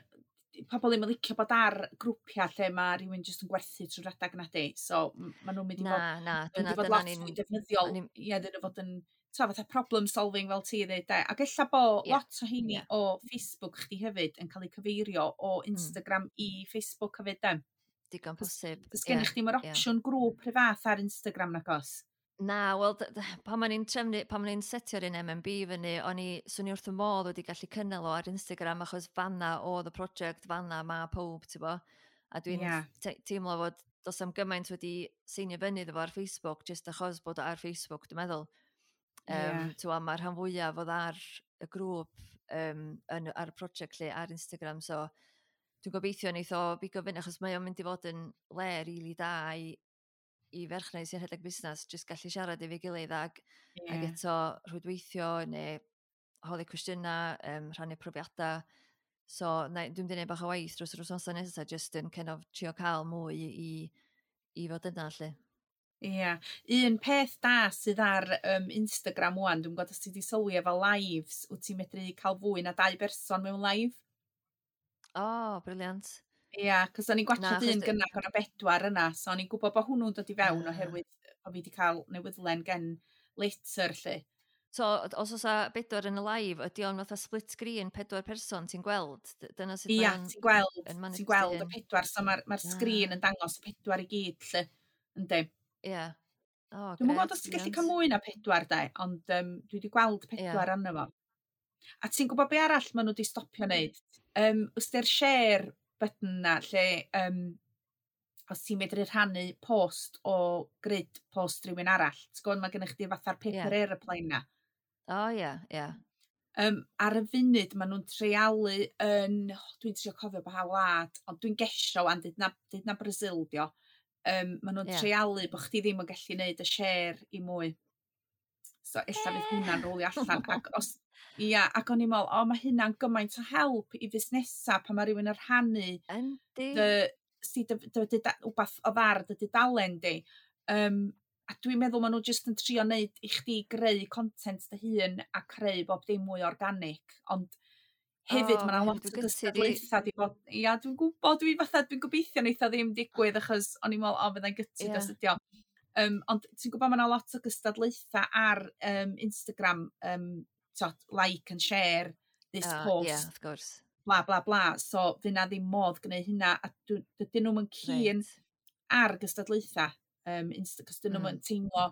Pobl ddim yn licio bod ar grwpiau lle mae rhywun jyst yn gwerthu trwy'r adag na di. So, maen nhw'n mynd i Na, fod, na, mynd dyna, i fod dyna lot ni'n fwy defnyddiol. o'n i'n- Ie, iddyn nhw fod yn, ta, fatha problem solving fel ti ddweud, de. Ac ella bo Ie, lot o heini ie. o Facebook chdi hefyd yn cael eu cyfeirio o Mm. Instagram i Facebook hefyd, de. Digon posib. Does Ie, gennych chdi mae'r ie. opsiwn grŵp rhy fath ar Instagram nag oes? Na, wel, d- d- pan o'n i'n trefnu, pan o'n i'n setio'r un M M B fyny, o'n i, swn i wrth y modd wedi gallu cynnal o ar Instagram, achos fanna oedd y prosiect, fanna ma pob, ti'n bo? A dwi'n Ie. te- teimlo fod does am gymaint wedi seinio fyny iddo fo ar Facebook, jyst achos bod o ar Facebook, dwi'n meddwl. Um, Ie. Ti'n mae'r rhan fwyaf oedd ar y grŵp um, yn, ar y prosiect lle ar Instagram, so dwi'n gobeithio neith o bigo fyny, achos mae o'n mynd i fod yn le rili da i, i ferchnau sy'n rhedeg busnes, jyst gallu siarad efo'i gilydd ag, Ie. ag eto rhwydweithio neu holi cwestiynau, um, rhannu profiadau. So, na, dwi'n mynd i wneud bach o waith dros yr wythnosau nesaf, jyst yn kind of trio cael mwy i, i fod yna, lle. Ie. Un peth da sydd ar um, Instagram wan, dwi'n gwybod os ti wedi sylwi efo lives, wyt ti'n medru cael fwy na dau berson mewn live? O, oh, brilliant. Ia, cos o'n i'n Na, gwatsiad achos un d- gynna o'na bedwar yna, so o'n i'n gwybod bod hwnnw'n dod i fewn Ah. oherwydd o fi wedi cael newyddlen gen later, lle. So, os oes a bedwar yn y live, ydy o'n fatha split screen, pedwar person ti'n gweld? D- Dyna sut Ia, mae o'n ti'n gweld, yn ti'n manifestio gweld y hyn. pedwar, so mae'r ma sgrin Ah. yn dangos y pedwar i gyd, lle. Yndi. Ie. O, Dwi'm yn gwybod grêt, os ti'n gallu brilliant. cael mwy na pedwar, de, ond um, dwi wedi gweld pedwar arno fo. A ti'n gwybod be arall maen nhw wedi stopio wneud? Um, Ystyr share button na, lle um, os ti'n medru rhannu post o grid post rhywun arall. Ti'n gwybod, mae gennych chdi fatha'r paper Ie. aeroplane na. O, ie, ie. Um, ar y funud, maen nhw'n treialu yn, oh, dwi'n trio cofio pa wlad, ond dwi'n gesio wan, dyd na, dyd na Brazil dio. Um, maen nhw'n Ie. treialu bod chdi ddim yn gallu neud y share i mwy. So ella fydd hwnna'n rolio allan. Ac os, ia, ac o'n i'n meddwl, o, mae hynna'n gymaint o help i fusnesau pan mae rhywun yn rhannu Yndi. dy, si, dy, dy, dy, dy, wbath o ddar dy dudalen di. Um, a dwi'n meddwl maen nhw jyst yn trio neud i chdi greu content dy hun a creu bob dim mwy organic. Ond hefyd O, mae yna ma' lot hyn o dwi'n gytu di. gystadlaethau di bod. Ia, dwi'n gwybod, dwi'n fatha, dwi'n gobeithio neith o ddim digwydd achos o'n i'n meddwl, o, fyddai'n gutted Ie. os ydi o. Um, ond ti'n gwybod mae yna lot o gystadlaethau ar um, Instagram, um, t'od, like and share this O, ie, post, wrth gwrs. bla bla bla. So fydd na ddim modd gwneud hynna a dw- dydyn nhw'm yn keen Reit. ar gystadlaethau um, Insta, cos dyn nhw'm Mm. yn teimlo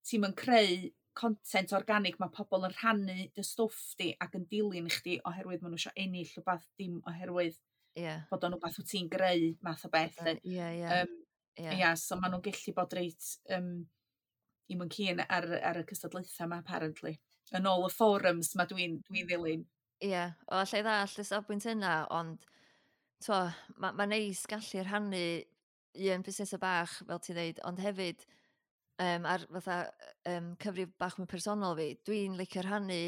ti'n yn creu content organic, mae pobl yn rhannu dy stwff di ac yn dilyn chdi oherwydd maen nhw eisiau ennill rhywbeth, dim oherwydd Ie. bod o'n rhywbeth wyt ti'n greu math o beth, lly. Ie, ie. Um, Ie. ia, so maen nhw'n gallu bod reit um, i'm yn keen ar, ar y cystadlaethau yma, apparently. Yn ôl y forums ma dwi'n dwi ddilyn. Ie, o, allai ddallt y safbwynt yna, ond t'wo, mae ma neis gallu rhannu un busnes bach, fel ti'n dweud, ond hefyd um, ar fatha um, cyfrif bach mwy personol fi, dwi'n licio rhannu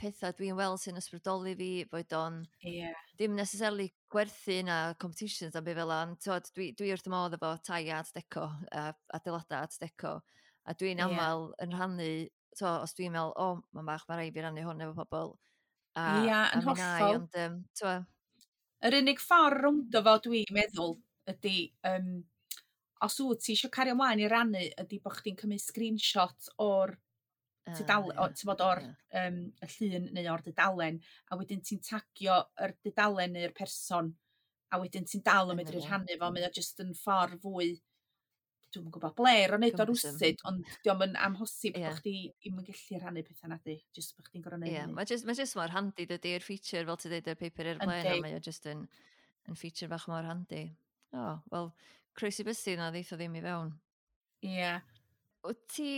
pethau dwi'n weld sy'n ysbrydoli fi, boed o'n Ie. dim necessarily gwerthu na competitions a be fel 'a, ond t'wod, dwi, dwi wrth y modd efo tai art deco, a adeilada art deco, a dwi'n Ie. aml yn rhannu, t'wo, os dwi'n meddwl, o, mae'n bach, mae rhaid fi rannu hwn efo pobl, a, Ia, a yn mi wna i, hollol. Ond, um, t'wo, Yr unig ffordd rowndo fo dwi'n meddwl ydy, um, os wyt ti eisiau cario ymlaen i rannu, ydy bod chdi'n cymryd screenshot o'r ah, tudalen, ie, o, ti'n bod o'r ie. um, y llun neu o'r dudalen, a wedyn ti'n tagio yr dudalen neu'r person, a wedyn ti'n dal yn Yna medru fo. rhannu fo, mae o jyst yn ffordd fwy, dwi'm yn gwybod bler o wneud o Cumbersome. rwsyd, ond dio'm yn amhosib Ie. bod chdi ddim yn gallu rhannu pethau na di, jyst bod chdi'n gorfod neud Ie, hynny. mae jyst, mae jyst mor handi dydy'r feature, fel ti'n dweud, y paper airplane, a Yndi. mae o jyst yn, yn feature bach mor handi. O, oh, wel, croesi bysedd na ddeith o ddim i fewn. Ie. Wyt ti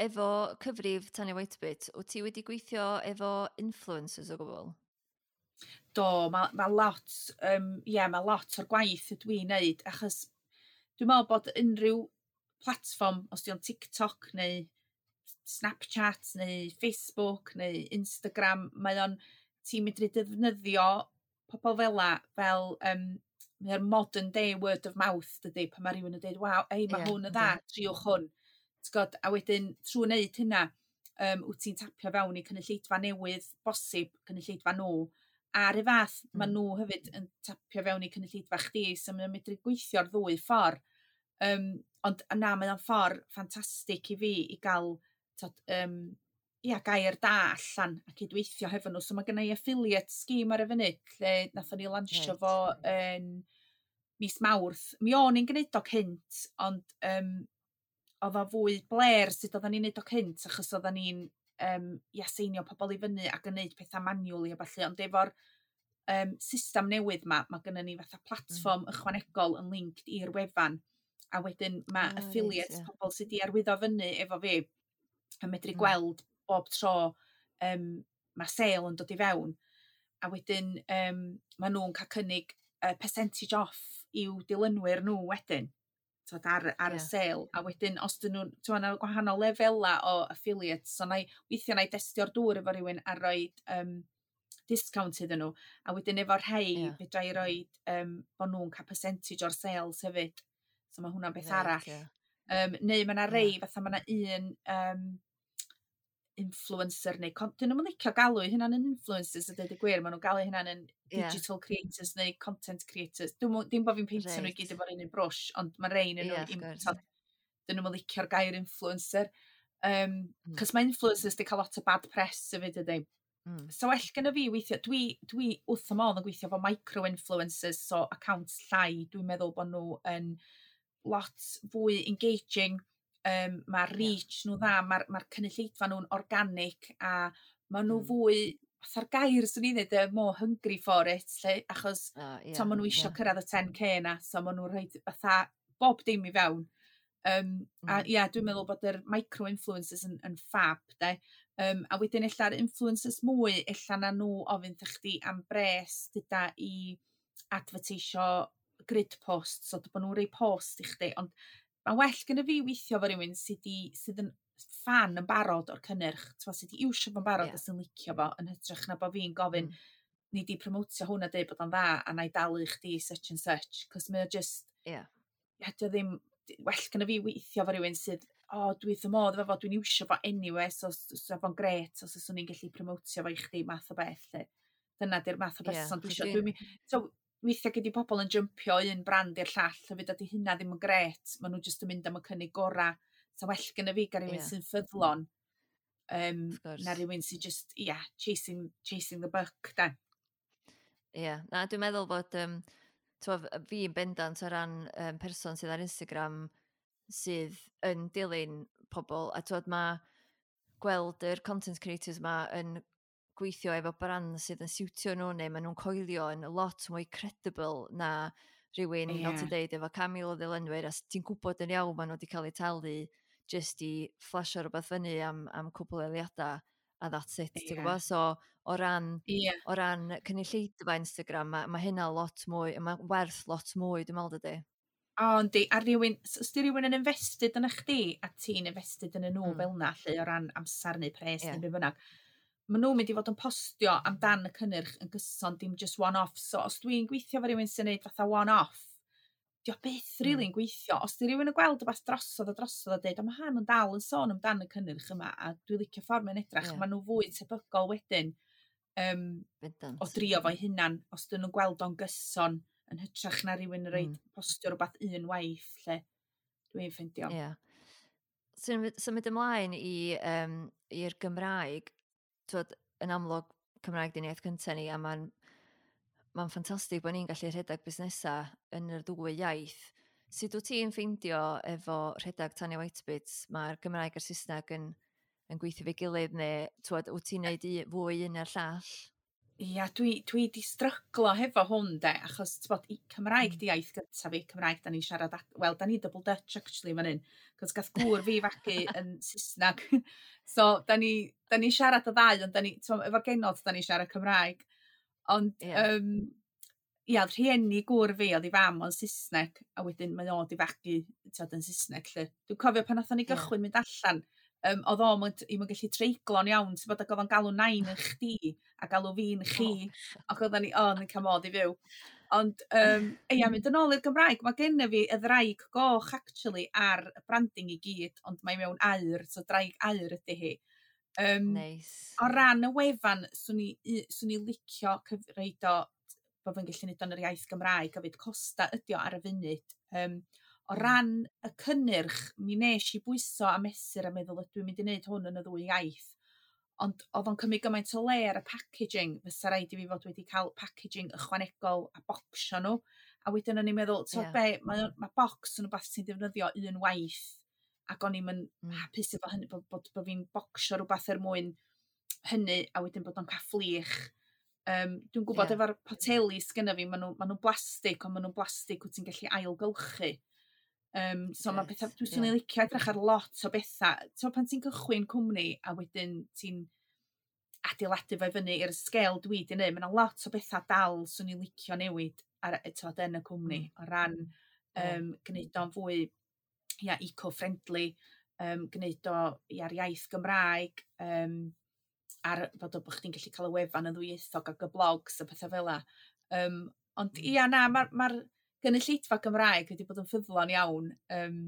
efo cyfrif Tanya Whitebit, wyt ti wedi gweithio efo influencers o gwbl? Do, mae ma lot, um, ie, mae lot o'r gwaith ydw i'n neud, achos dwi'n meddwl bod unrhyw platfform, os di o'n TikTok neu Snapchat neu Facebook neu Instagram, mae o'n, ti'n medru defnyddio pobl fela fel, um, mae'r modern day word of mouth, dydy, pan mae rhywun yn dweud, "Waw, ei, mae Ie, hwn yn yndi. dda, triwch hwn." Ti'n gwbod, a wedyn, trwy wneud hynna, um, wyt ti'n tapio fewn i cynulleidfa newydd, bosib, cynulleidfa nhw, A'r un fath, mm. maen nhw hefyd yn tapio fewn i cynulleidfa chdi, so maen nhw'n medru gweithio'r ddwy ffordd. Um, ond na, mae o'n ffordd ffantastig i fi i gael tod, um, ia, gair da allan a cydweithio hefo nhw. So mae gen i affiliate scheme ar y funud, lle nathon ni lansio right. fo yn mis Mawrth. Mi o'n i'n gwneud o cynt, ond um, oedd o fwy bler sut oedden ni'n neud o cynt, achos oedden ni'n um, ia, seinio pobl i fyny ac yn neud pethau manually a ballu, ond efo'r um, system newydd ma, mae gennym ni fatha platfform mm. ychwanegol yn linked i'r wefan, a wedyn mae oh, affiliates, right, yeah. pobl sydd wedi arwyddo fyny efo fi, yn medru mm. gweld bob tro um, mae sale yn dod i fewn, a wedyn um, maen nhw'n cael cynnig uh, percentage off i'w dilynwyr nhw wedyn tod, ar, ar yeah. y sale, a wedyn os dyn nhw'n, ti'n meddwl, gwahanol lefela o affiliates, so na i, weithiau na i destio'r dŵr efo rhywun a rhoi um, discount iddyn nhw, a wedyn efo'r rhai yeah. fedra i roi um, bod nhw'n cael percentage o'r sales hefyd, so mae hwnna'n beth right, arall. Yeah. Um, neu mae yna rei, yeah. fatha mae yna un um, influencer neu, dyn nhw'n licio galw eu hunain yn influencers a dweud y gwir, maen nhw'n galw eu hunain yn digital yeah. creators neu content creators. Dim, dim bod fi'n peintio right. nhw i gyd efo'r un un brwsh, ond mae rhain yn yeah, nhw, dyn nhw'n licio'r gair influencer. Um, mm. Cos mae influencers di cael lot o bad press hefyd ydy. Mm. So well gyda fi weithio, dwi, dwi wrth y modd yn gweithio efo micro-influencers, so accounts llai, dwi'n meddwl bod nhw yn lot fwy engaging, um, mae'r reach yeah. nhw dda, mae'r ma cynulleidfa nhw'n organic a maen nhw mm. fwy, fatha'r gair swn i'n dweud, more hungry for it, lle, achos oh, yeah, maen nhw isio yeah. cyrraedd y ten K na, so maen nhw'n rhoi fatha bob dim i fewn. Um, mm. A ia, yeah, dwi'n meddwl bod yr micro-influencers yn, yn fab, de. Um, a wedyn ella'r influencers mwy, ella na nhw ofyn chdi am bres dyda i advertisio grid posts, so bod nhw'n rhoi post i chdi, ond mae well gyda fi weithio efo rhywun sydd, di, sydd yn fan yn barod o'r cynnyrch, sydd wedi iwsio fo'n barod yeah. a sy'n licio fo, yn hytrach na bod fi'n gofyn, mm. ni di promotio hwn a deud bod o'n dda, a na i dalu chdi such and such, cos mae o just, yeah. yeah, dio ddim, well gyda fi weithio efo rhywun sydd, o, oh, dwi wrth y modd efo fo, dwi'n iwsio fo anyway, so, so fo'n gret, os so, swn i'n gallu promotio fo i chdi, math o beth, lle. Dyna di'r math o berson yeah, dwi isio. Dwi'n, so, weithiau gyda pobl yn jumpio un brand i'r llall, hefyd ydy hynna ddim yn gret, maen nhw jyst yn mynd am y cynnig gora. So well gyda fi gael rhywun yeah. sy'n ffyddlon, um, na rhywun sy'n just, yeah, chasing, chasing the buck, da. Ie, yeah. Na, dwi'n meddwl bod, um, twa, fi yn bendant o ran um, person sydd ar Instagram sydd yn dilyn pobl, a twod, mae gweld yr content creators ma yn gweithio efo brand sydd yn siwtio nhw neu maen nhw'n coelio yn lot mwy credible na rhywun, yeah. fel ti'n deud, efo can mil o ddilynwyr, a ti'n gwybod yn iawn maen nhw wedi cael eu talu jyst i flasio rhywbeth fyny am, am cwpl eiliadau, a that's it, yeah. ti'n gwybod? So, o ran, yeah. o ran cynulleidfa Instagram, mae, mae hynna lot mwy, mae werth lot mwy, dwi'n meddwl, dydy. O, yndi, a rhywun, os di rhywun yn invested yn chdi, a ti'n invested yn y nhw mm. fel na, lle, o ran amser neu pres yeah. neu be bynnag, maen nhw'n mynd i fod yn postio amdan y cynnyrch yn gyson, dim just one-off. So, os dwi'n gweithio efo rhywun sy'n neud fatha one-off, di o byth really yn gweithio. Os di rhywun yn gweld rhywbeth drosodd a drosodd a dweud, o, mae han yn dal yn sôn amdan y cynnyrch yma, a dwi'n licio ffordd mae'n edrach, yeah. maen nhw fwy tebygol wedyn um, o drio fo'i hunan, os dyn nhw'n gweld o'n gyson, yn hytrach na rhywun yn rhaid mm. postio rhywbeth un waith, lle dwi'n ffeindio. Yeah. Symud ymlaen i, um, i'r Gymraeg, twod, yn amlwg Cymraeg di'n iaith cyntaf ni, a mae'n mae'n ffantastig bod ni'n gallu rhedeg busnesau yn yr ddwy iaith. Sut wyt ti'n ffeindio efo rhedeg Tanya Whitebits, mae'r Gymraeg a'r Saesneg yn, yn gweithio fe gilydd, neu twod, wyt ti'n neud i, fwy un a'r llall? Ia, dwi, dwi di stryglo hefo hwn de, achos t'bod, Cymraeg mm. di iaith gyntaf fi, Cymraeg da ni'n siarad, wel, da ni double Dutch actually fan hyn, cos gath gŵr fi fagu yn Saesneg. So, da ni, da ni siarad y ddau, ond da ni, t'mo, efo'r genod da ni siarad Cymraeg. Ond, yeah. um, ia, rhieni gŵr fi, oedd i fam o'n Saesneg, a wedyn mae o di fagu, t'od, yn Saesneg, lle. Dwi'n cofio pan nathon ni gychwyn yeah. mynd allan, Um, oedd o'n i'm yn gallu treiglo'n iawn, ti'n bod, ac oedd o'n galw nain yn chdi a galw fi'n chi, oh. ac oedden ni, o, oh, ni'n cael modd i fyw. Ond, um, ia, mynd yn ôl i'r Gymraeg, mae genna fi y ddraig goch, actually, ar y branding i gyd, ond mae mewn aur, so draig aur ydy hi. Um, Neis. O ran y wefan, swn i, swn i licio cyfreid o bod fi'n gallu neud o'n yr iaith Gymraeg hefyd. Costa ydi o ar y funud. Um, o Mm. ran y cynnyrch, mi nes i bwyso a mesur a meddwl, ydw i'n mynd i wneud hwn yn y ddwy iaith. Ond oedd o'n cymryd gymaint o le ar y packaging, fysa raid i fi fod wedi cael packaging ychwanegol a bocsio nhw. A wedyn o'n i'n meddwl, ti'n Ie. be, mae, mae bocs yn rhywbeth ti'n defnyddio un waith, ac o'n i'm yn Mm. hapus efo hynny, bod, bod, bod fi'n bocsio rhywbeth er mwyn hynny, a wedyn bod o'n cael fflich. Um, dwi'n gwybod Ie. efo'r poteli sgynna fi, maen nhw, ma nhw'n blastig, ond maen nhw'n blastig wyt ti'n gallu ailgylchu. Um, so mae Grêt, pethau, dwi'n swn ie. i'n licio edrych ar lot o bethau. So pan ti'n cychwyn cwmni a wedyn ti'n adeiladu fo i fyny i'r sgêl dwi 'di neud, mae 'na lot o bethau dal swn i'n licio newid ar, t'od, yn y cwmni Mm. o ran Ie. um, gwneud o'n fwy, ia, eco-friendly, um, gwneud o ia'r iaith Gymraeg, um, ar fod o bod chdi'n gallu cael y wefan yn ddwyieithog ac y blogs a pethau fel 'a. Um, ond Mm. ia na, mae'r ma gynulleidfa Gymraeg wedi bod yn ffyddlon iawn, um,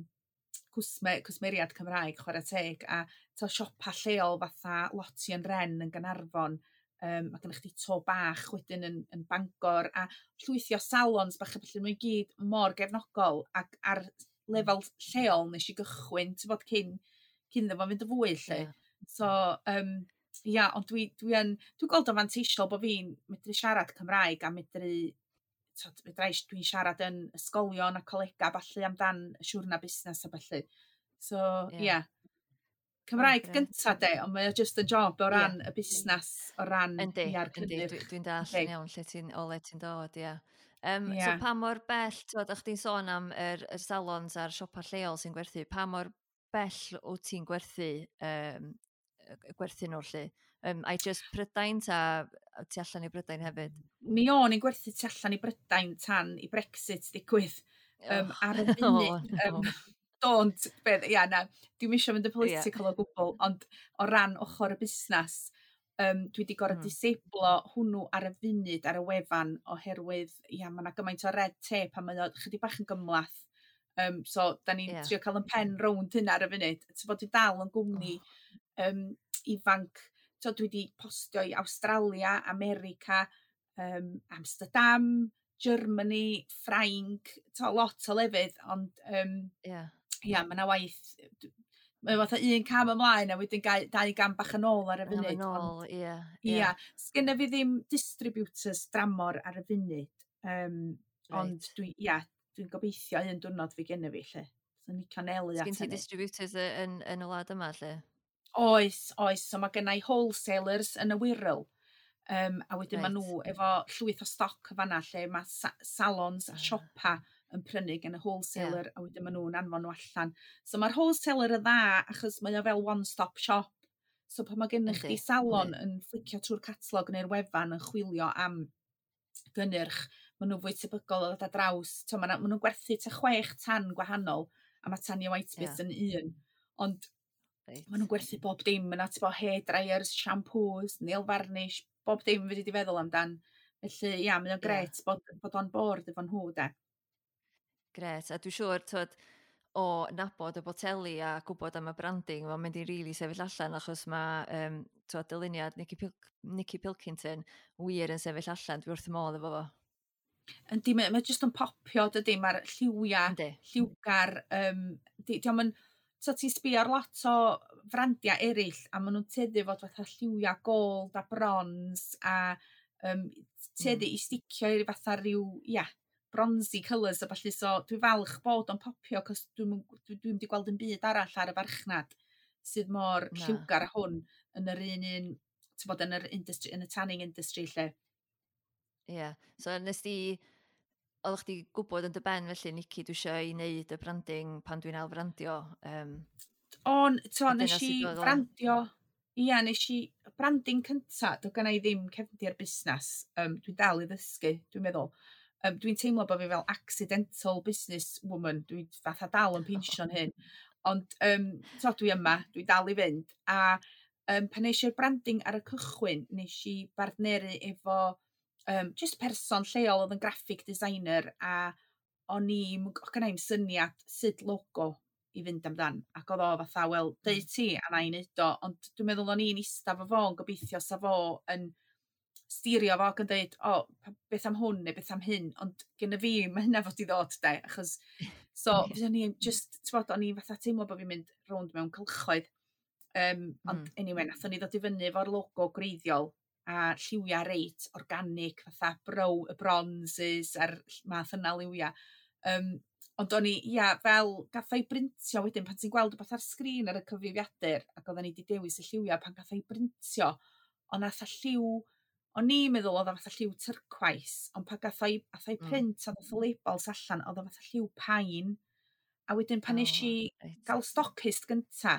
cwsme, cwsmeriad Cymraeg, chwarae teg, a to siopa lleol fatha Lottie and Wren yn Gaernarfon, um, mae gennych chdi To Bach wedyn yn, yn Bangor, a llwythi o salons bach a felly maen nhw i gyd mor gefnogol, ac ar lefel lleol nes i gychwyn, ti'n bod, cyn, cyn iddo fo fynd y fwy, lle. Ie. So, um, ia, ond dwi, dwi yn, dwi'n gweld o'n fanteisiol bod fi'n medru siarad Cymraeg a medru, t'od, fedra i, dwi'n siarad yn ysgolion a colega ballu amdan y siwrna busnes a ballu. So, Ie. ia. Cymraeg grêt. gynta de, ond mae o just yn job o Ie. ran y busnes, o ran Yndi, ia'r yndi, cynnyrch. dwi, dwi'n dallt yn Yndi. iawn lle ti'n, o le ti'n dod, ia. Um, so Ia. pa mor bell, ti'n chdi'n sôn am yr, yr salons a'r siopa lleol sy'n gwerthu, pa mor bell wyt ti'n gwerthu, um, gwerthu nhw lly? Um, ai just Prydain ta tu allan i Brydain hefyd? Mi o'n i'n gwerthu tu allan i Brydain tan i Brexit ddigwydd. Um, Oh, ar y funud, oh, um, no. don't, beth, ia, na, dwi'm isio mynd yn Ie. political o gwbl, ond o ran ochr y busnes, um, dwi wedi gorfod Mm. disablo hwnnw ar y funud ar y wefan oherwydd, ia, mae yna gymaint o red tape a mae o chydig bach yn gymhleth. Um, so, da ni'n Ie. trio cael yn pen rownd hynna ar y funud. Ti'n bod, dwi dal yn gwmni Oh. um, ifanc. So, dwi wedi postio i Awstralia, America, um, Amsterdam, Germany, Ffrainc, to, lot o lefydd, ond um, Ie. ia, mae yna waith, d- mae fatha un cam ymlaen a wedyn gau, dau gam bach yn ôl ar y Cam funud. yn Ond ôl, ie. Ie. ia, sgynna fi ddim distributors dramor ar y funud, um, ond Reit. dwi, ia, dwi'n gobeithio un diwrnod fi genna fi, lle. So ni'n canelu at Sgyn ti hynny. distributors y- yn, yn y wlad yma, lle? Oes, oes, so mae gennai wholesalers yn y Wirral. Um, a wedyn maen Reit. nhw efo llwyth o stoc y fanna lle mae sa salons a Ah. siopa yn prynu gen y wholesaler, a wedyn maen nhw'n anfon nhw allan. So mae'r wholesaler yn dda achos mae o fel one-stop shop. So pan mae gennych chdi Yndi, salon yndi. yn flicio trwy'r catalog neu'r wefan yn chwilio am gynnyrch, maen nhw'n fwy tebygol o ddod ar draws. So, maen nhw'n gwerthu tua chwech tan gwahanol, a mae Tanya Whitesmith Ie. yn un. Ond Reit. maen nhw'n gwerthu bob dim yna, ti'n bo, hair dryers, shampoos, nail varnish, bob dim fedri di feddwl amdan. Felly, ia, mae o'n Ie. grêt bod, bod on board efo nhw, de. Grêt. A dwi'n siŵr, twod, o nabod y boteli a gwybod am y branding, mae'n mynd i rili sefyll allan achos mae um, twod, dyluniad Nicky, Pil Nicky Pilkington wir yn sefyll allan. Dwi wrth y modd efo fo. Yndi, mae, mae jyst yn popio, dydy, mae'r lliwiau Yndi. lliwgar, um, di, dio'm yn, so ti'n sbio ar lot o frandiau eraill, a maen nhw'n tueddu fod fatha lliwiau gold a bronze, a um, tueddu Mm. i sticio i fatha rhyw, ia, bronzy colours a ballu, so dwi falch bod o'n popio, cos dwi'm yn- dwi, dwi'm 'di gweld yn byd arall ar y farchnad sydd mor Na. lliwgar â hwn yn yr un un, ti'n bod, yn yr industry, yn y tanning industry lle. Ie. Yeah. So nes di, oeddech chdi gwybod yn dy ben felly, Nicky, dwi eisiau i wneud y branding pan dwi'n ailfrandio. Um, On, to, A dyna nes i sut oedd o? frandio, ia, nes i branding cynta, do gynna i ddim cefndir busnes, um, dwi'n dal i ddysgu, dwi'n meddwl. Um, dwi'n teimlo bod fi fel accidental business woman, dwi'n fatha dal yn pinsio'n hyn. Ond um, to, dwi yma, dwi dal i fynd. A um, pan nes i'r branding ar y cychwyn, nes i bartneru efo um, just person lleol oedd yn graphic designer, a o'n i'm, o gynna i'm syniad sut logo i fynd amdan. Ac oedd o fatha, "Wel, deud mm. ti a na i neud o." Ond dwi'n meddwl o'n i'n ista fo fo'n gobeithio sa fo yn steerio fo ac yn deud, "O, beth am hwn neu beth am hyn?" Ond gyda fi, mae hynna fod i ddod, de, achos, so, o'n i'n just, t'bod, o'n i'n fatha teimlo bod fi'n mynd rownd mewn cylchoedd. Um, ond mm. anyway, nathon ni ddod i fyny efo'r logo gwreiddiol a lliwiau reit organic, fatha brow, y bronzes a'r math yna liwiau. Um, ond o'n i, ia, fel gath o'i brintio wedyn, pan ti'n gweld rhywbeth ar sgrin ar y cyfrifiadur, ac oedden ni wedi dewis y lliwiau, pan gath o'i brintio, ond nath y lliw, o'n i'n meddwl oedd o fatha lliw tyrcwais, ond pan gath o'i, ath o'i mm. print mm. a nath y labels allan, oedd o fatha lliw pain. A wedyn pan oh, nes i right. gael stockist gynta,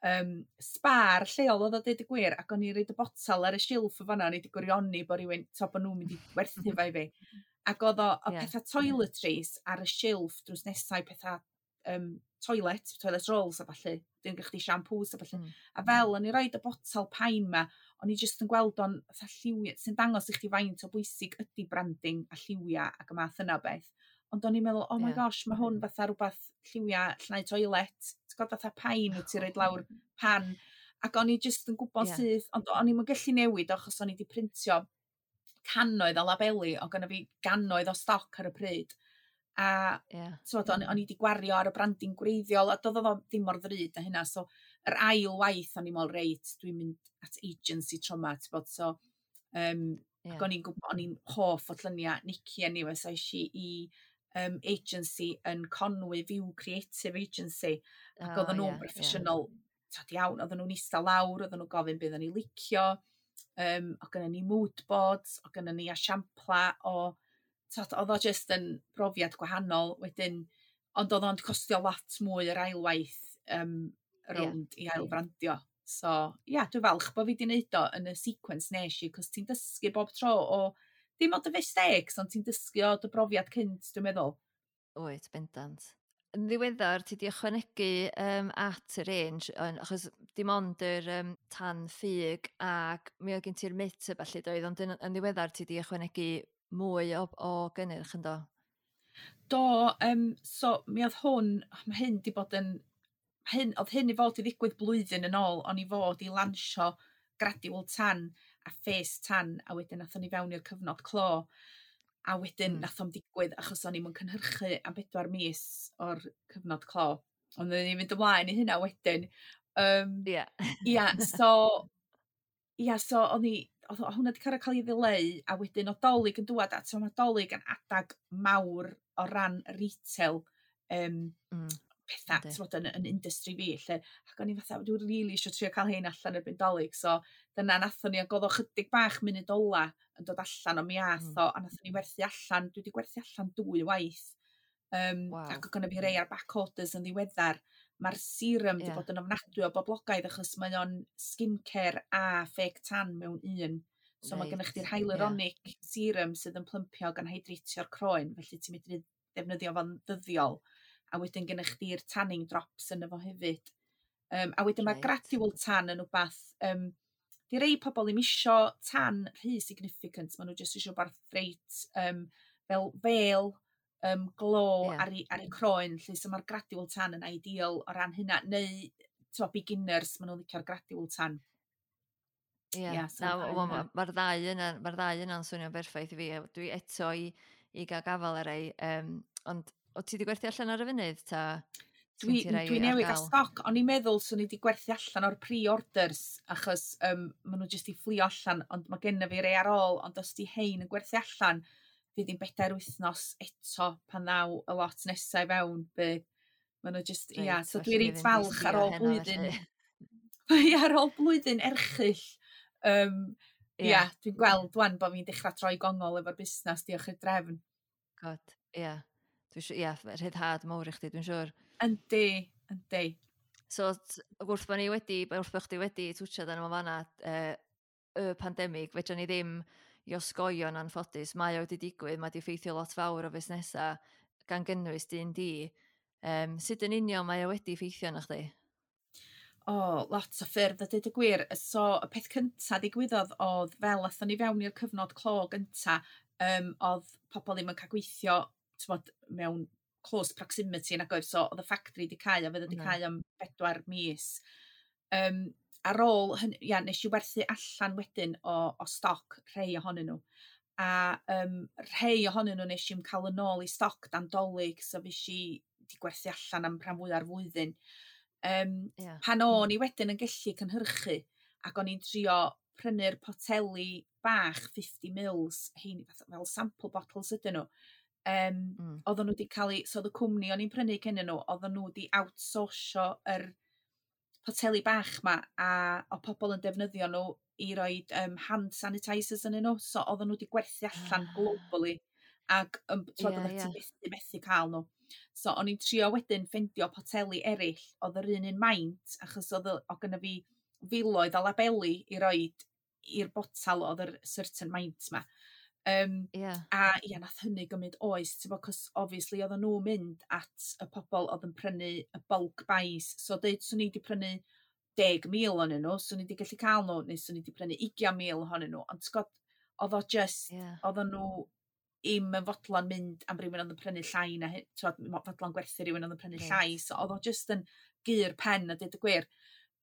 um, Spar lleol oedd o, deud y gwir, ac o'n i'n rhoid y botel ar y silff o fanna, o'n i wedi gwirioni bod rhywun, to, bod nhw'n mynd i werthu fo i fi. Ac oedd o, o yeah. pethau toiletries ar y silff drws nesau pethau um, toilet, toilet rolls a falle, dyn gyda chdi shampoos a falle. Mm. A fel o'n i roid y botel pain ma, o'n i jyst yn gweld o'n fatha lliwiau, sy'n dangos i chdi faint o bwysig ydy branding a lliwiau ac y math yna o beth. Ond o'n i'n meddwl, "Oh my yeah. gosh, mae hwn fatha rhywbeth lliwiau llnau toilet." Ti'n gwybod, fatha pain wyt ti'n rhoid lawr pan. Ac o'n i jyst yn gwybod yeah. syth, ond o'n i'n gallu newid achos o'n i wedi printio cannoedd o labeli, o gynna fi gannoedd o stoc ar y pryd. A yeah. T'mod, o'n, o'n i wedi gwario ar y branding gwreiddiol, a doedd o ddim mor ddrud a hynna. So, yr ail waith o'n i'n meddwl, "Reit, dwi'n mynd at agency tro 'ma," t'bod, so, um, yeah. ac o'n i'n gwybod, o'n i'n hoff o lluniau Nicky anyway, so es i i um, agency yn Conwy, View Creative Agency, ac oh, oedden nhw'n yeah, broffesiynol yeah. Tod, iawn, oedden nhw'n eista lawr, oedden nhw'n gofyn beth o'n i licio, um, o gynnon ni mood boards, o gynnon ni esiampla o, tod, oedd o just yn brofiad gwahanol wedyn, ond oedd o'n costio lot mwy yr ailwaith um, rownd yeah. i ailfrandio. So, ia, yeah, dwi'n falch bod fi wedi wneud o yn y sequence nes i, cos ti'n dysgu bob tro o, dim ond y mistakes, ond ti'n dysgu o dy brofiad cynt, dwi'n meddwl. Wyt, bendant. Yn ddiweddar, ti di ychwanegu um, at y range, yn, achos dim ond yr um, tan ffug ac mi oedd gen ti'r mitt a ballu doedd, ond yn, yn ddiweddar ti di ychwanegu mwy o, o gynnyrch yn do? Do, um, so mi oedd hwn, mae hyn di bod yn, hyn, oedd hyn i fod i ddigwydd blwyddyn yn ôl, o'n i fod i lansio gradual tan a face tan, a wedyn nathon ni fewn i'r cyfnod clo. A wedyn mm. nath o'm digwydd achos o'n i'm yn cynhyrchu am bedwar mis o'r cyfnod clo. Ond o'n i'n mynd ymlaen i hynna wedyn. Um, yeah. Ia, so, ia, so o'n i, oedd hwnna wedi cael cael ei ddileu, a wedyn o Dolig yn dŵad, a so mae Dolig yn adag mawr o ran retail um, mm. pethau, ti'n yn, yn industry fi, lle, ac o'n i fatha, "Dwi'n rili really eisiau trio cael hein allan erbyn Dolig," so dyna nathon ni, ac oedd o chydig bach munud ola yn dod allan o mi ath mm. o, a nathon ni werthu allan, dwi wedi gwerthu allan dwy waith, um, wow. ac oedd gynna fi rei ar back orders yn ddiweddar. Mae'r serum wedi yeah. bod yn ofnadwy o boblogaidd achos mae o'n skincare a fake tan mewn un. So right. mae gennych chdi'r hyaluronic yeah. serum sydd yn plympio gan hydratio'r croen, felly ti'n medru defnyddio fo'n ddyddiol. A wedyn gennych chdi'r tanning drops yn efo hefyd. Um, a wedyn right. mae gradual tan yn wbath, um, di rei pobl ddim isio tan rhy significant, maen nhw jyst isio rwbath reit um, fel fel um, glow yeah. ar, ei, ar ei croen, lle, so mae'r gradual tan yn ideal o ran hynna, neu t'mo, beginners, maen nhw'n licio'r gradual tan. Ie, yeah. Yeah, so na, mae'r ma, ma ddau yna, mae'r ddau yna'n swnio'n berffaith i fi. Dwi eto i, i gael gafel ar ei, um, ond o ti wedi gwerthu allan ar y funud, ta? Dwi, dwi newydd gael stoc, o'n i'n meddwl swn i wedi gwerthu allan o'r pre-orders, achos um, maen nhw jyst i fflio allan, ond mae genna fi rei ar ôl, ond os di hein yn gwerthu allan, fydd hi'n bedair wythnos eto pan ddaw y lot nesaf i fewn. Bydd. Maen nhw just, ia, yeah, so dwi reit falch ar ôl blwyddyn. Ia, ar ôl blwyddyn erchyll. Um, ia, yeah. Dwi'n gweld wan bod fi'n dechrau troi gongol efo'r busnes, diolch i'r drefn. God, ia. Yeah. Dwi'n siŵr, ia, rhyddhad mawr i chdi, dwi'n siŵr. Yndi, yndi. So, wrth bod ni wedi, wrth bod chdi wedi twtsiad arno fo fanna, uh, y pandemig, fedra ni ddim i osgoi o'n anffodus, mae o wedi digwydd, mae wedi effeithio lot fawr o fusnesau, gan gynnwys dyn di. Um, sut yn union mae o wedi effeithio arna chdi? O, oh, lot o ffyrdd a dweud y gwir. So, y peth cyntaf ddigwyddodd oedd fel athon ni fewn i'r cyfnod clo gynta, um, oedd pobl ddim yn cael gweithio, t'mod, mewn Close proximity nag oedd, so oedd y factory 'di cau a fydd wedi Na. cau am bedwar mis. Um, ar ôl hynny, ia, nes i werthu allan wedyn o, o stoc rhai ohonyn nhw. A um, rhai ohonyn nhw nes i'm cael yn ôl i stoc dan Dolig, so fues i 'di gwerthu allan am rhan fwya'r flwyddyn. Um, Ia. Pan o'n i wedyn yn gallu cynhyrchu ac o'n i'n trio prynu'r poteli bach fifty mils, hein fatha fel sample bottles ydyn nhw. Um, Mm. Oedden nhw wedi cael eu, so oedd y cwmni o'n i'n prynu cyn nhw, oedden nhw wedi outsourcio yr poteli bach ma a o pobl yn defnyddio nhw i roid um, hand sanitisers yn nhw, so oedden nhw wedi gwerthu allan Ah. globally ac um, Ie, oeddet ie. ti methu methu cael nhw. So o'n i'n trio wedyn ffeindio poteli eraill oedd yr un un maint, achos oedd o o gynna fi filoedd o labeli i roid i'r botal oedd yr certain maint ma. Um, Ia. A ia, nath hynny gymryd oes, ti'n bo, 'cos obviously oedden nhw'n mynd at y pobl oedd yn prynu y bulk buys. So deud swn i wedi prynu deg mil ohonyn nhw, swn i wedi gallu cael nhw, neu swn i wedi prynu ugain mil ohonyn nhw. Ond ti'n gwbod, oedd o just, Ia. oedden nhw im yn fodlon mynd am rywun oedd yn prynu llai na hyn, t'wod, mo- fodlon gwerthu rywun oedd yn prynu Reit. llai. So oedd o just yn gur pen a dweud y gwir.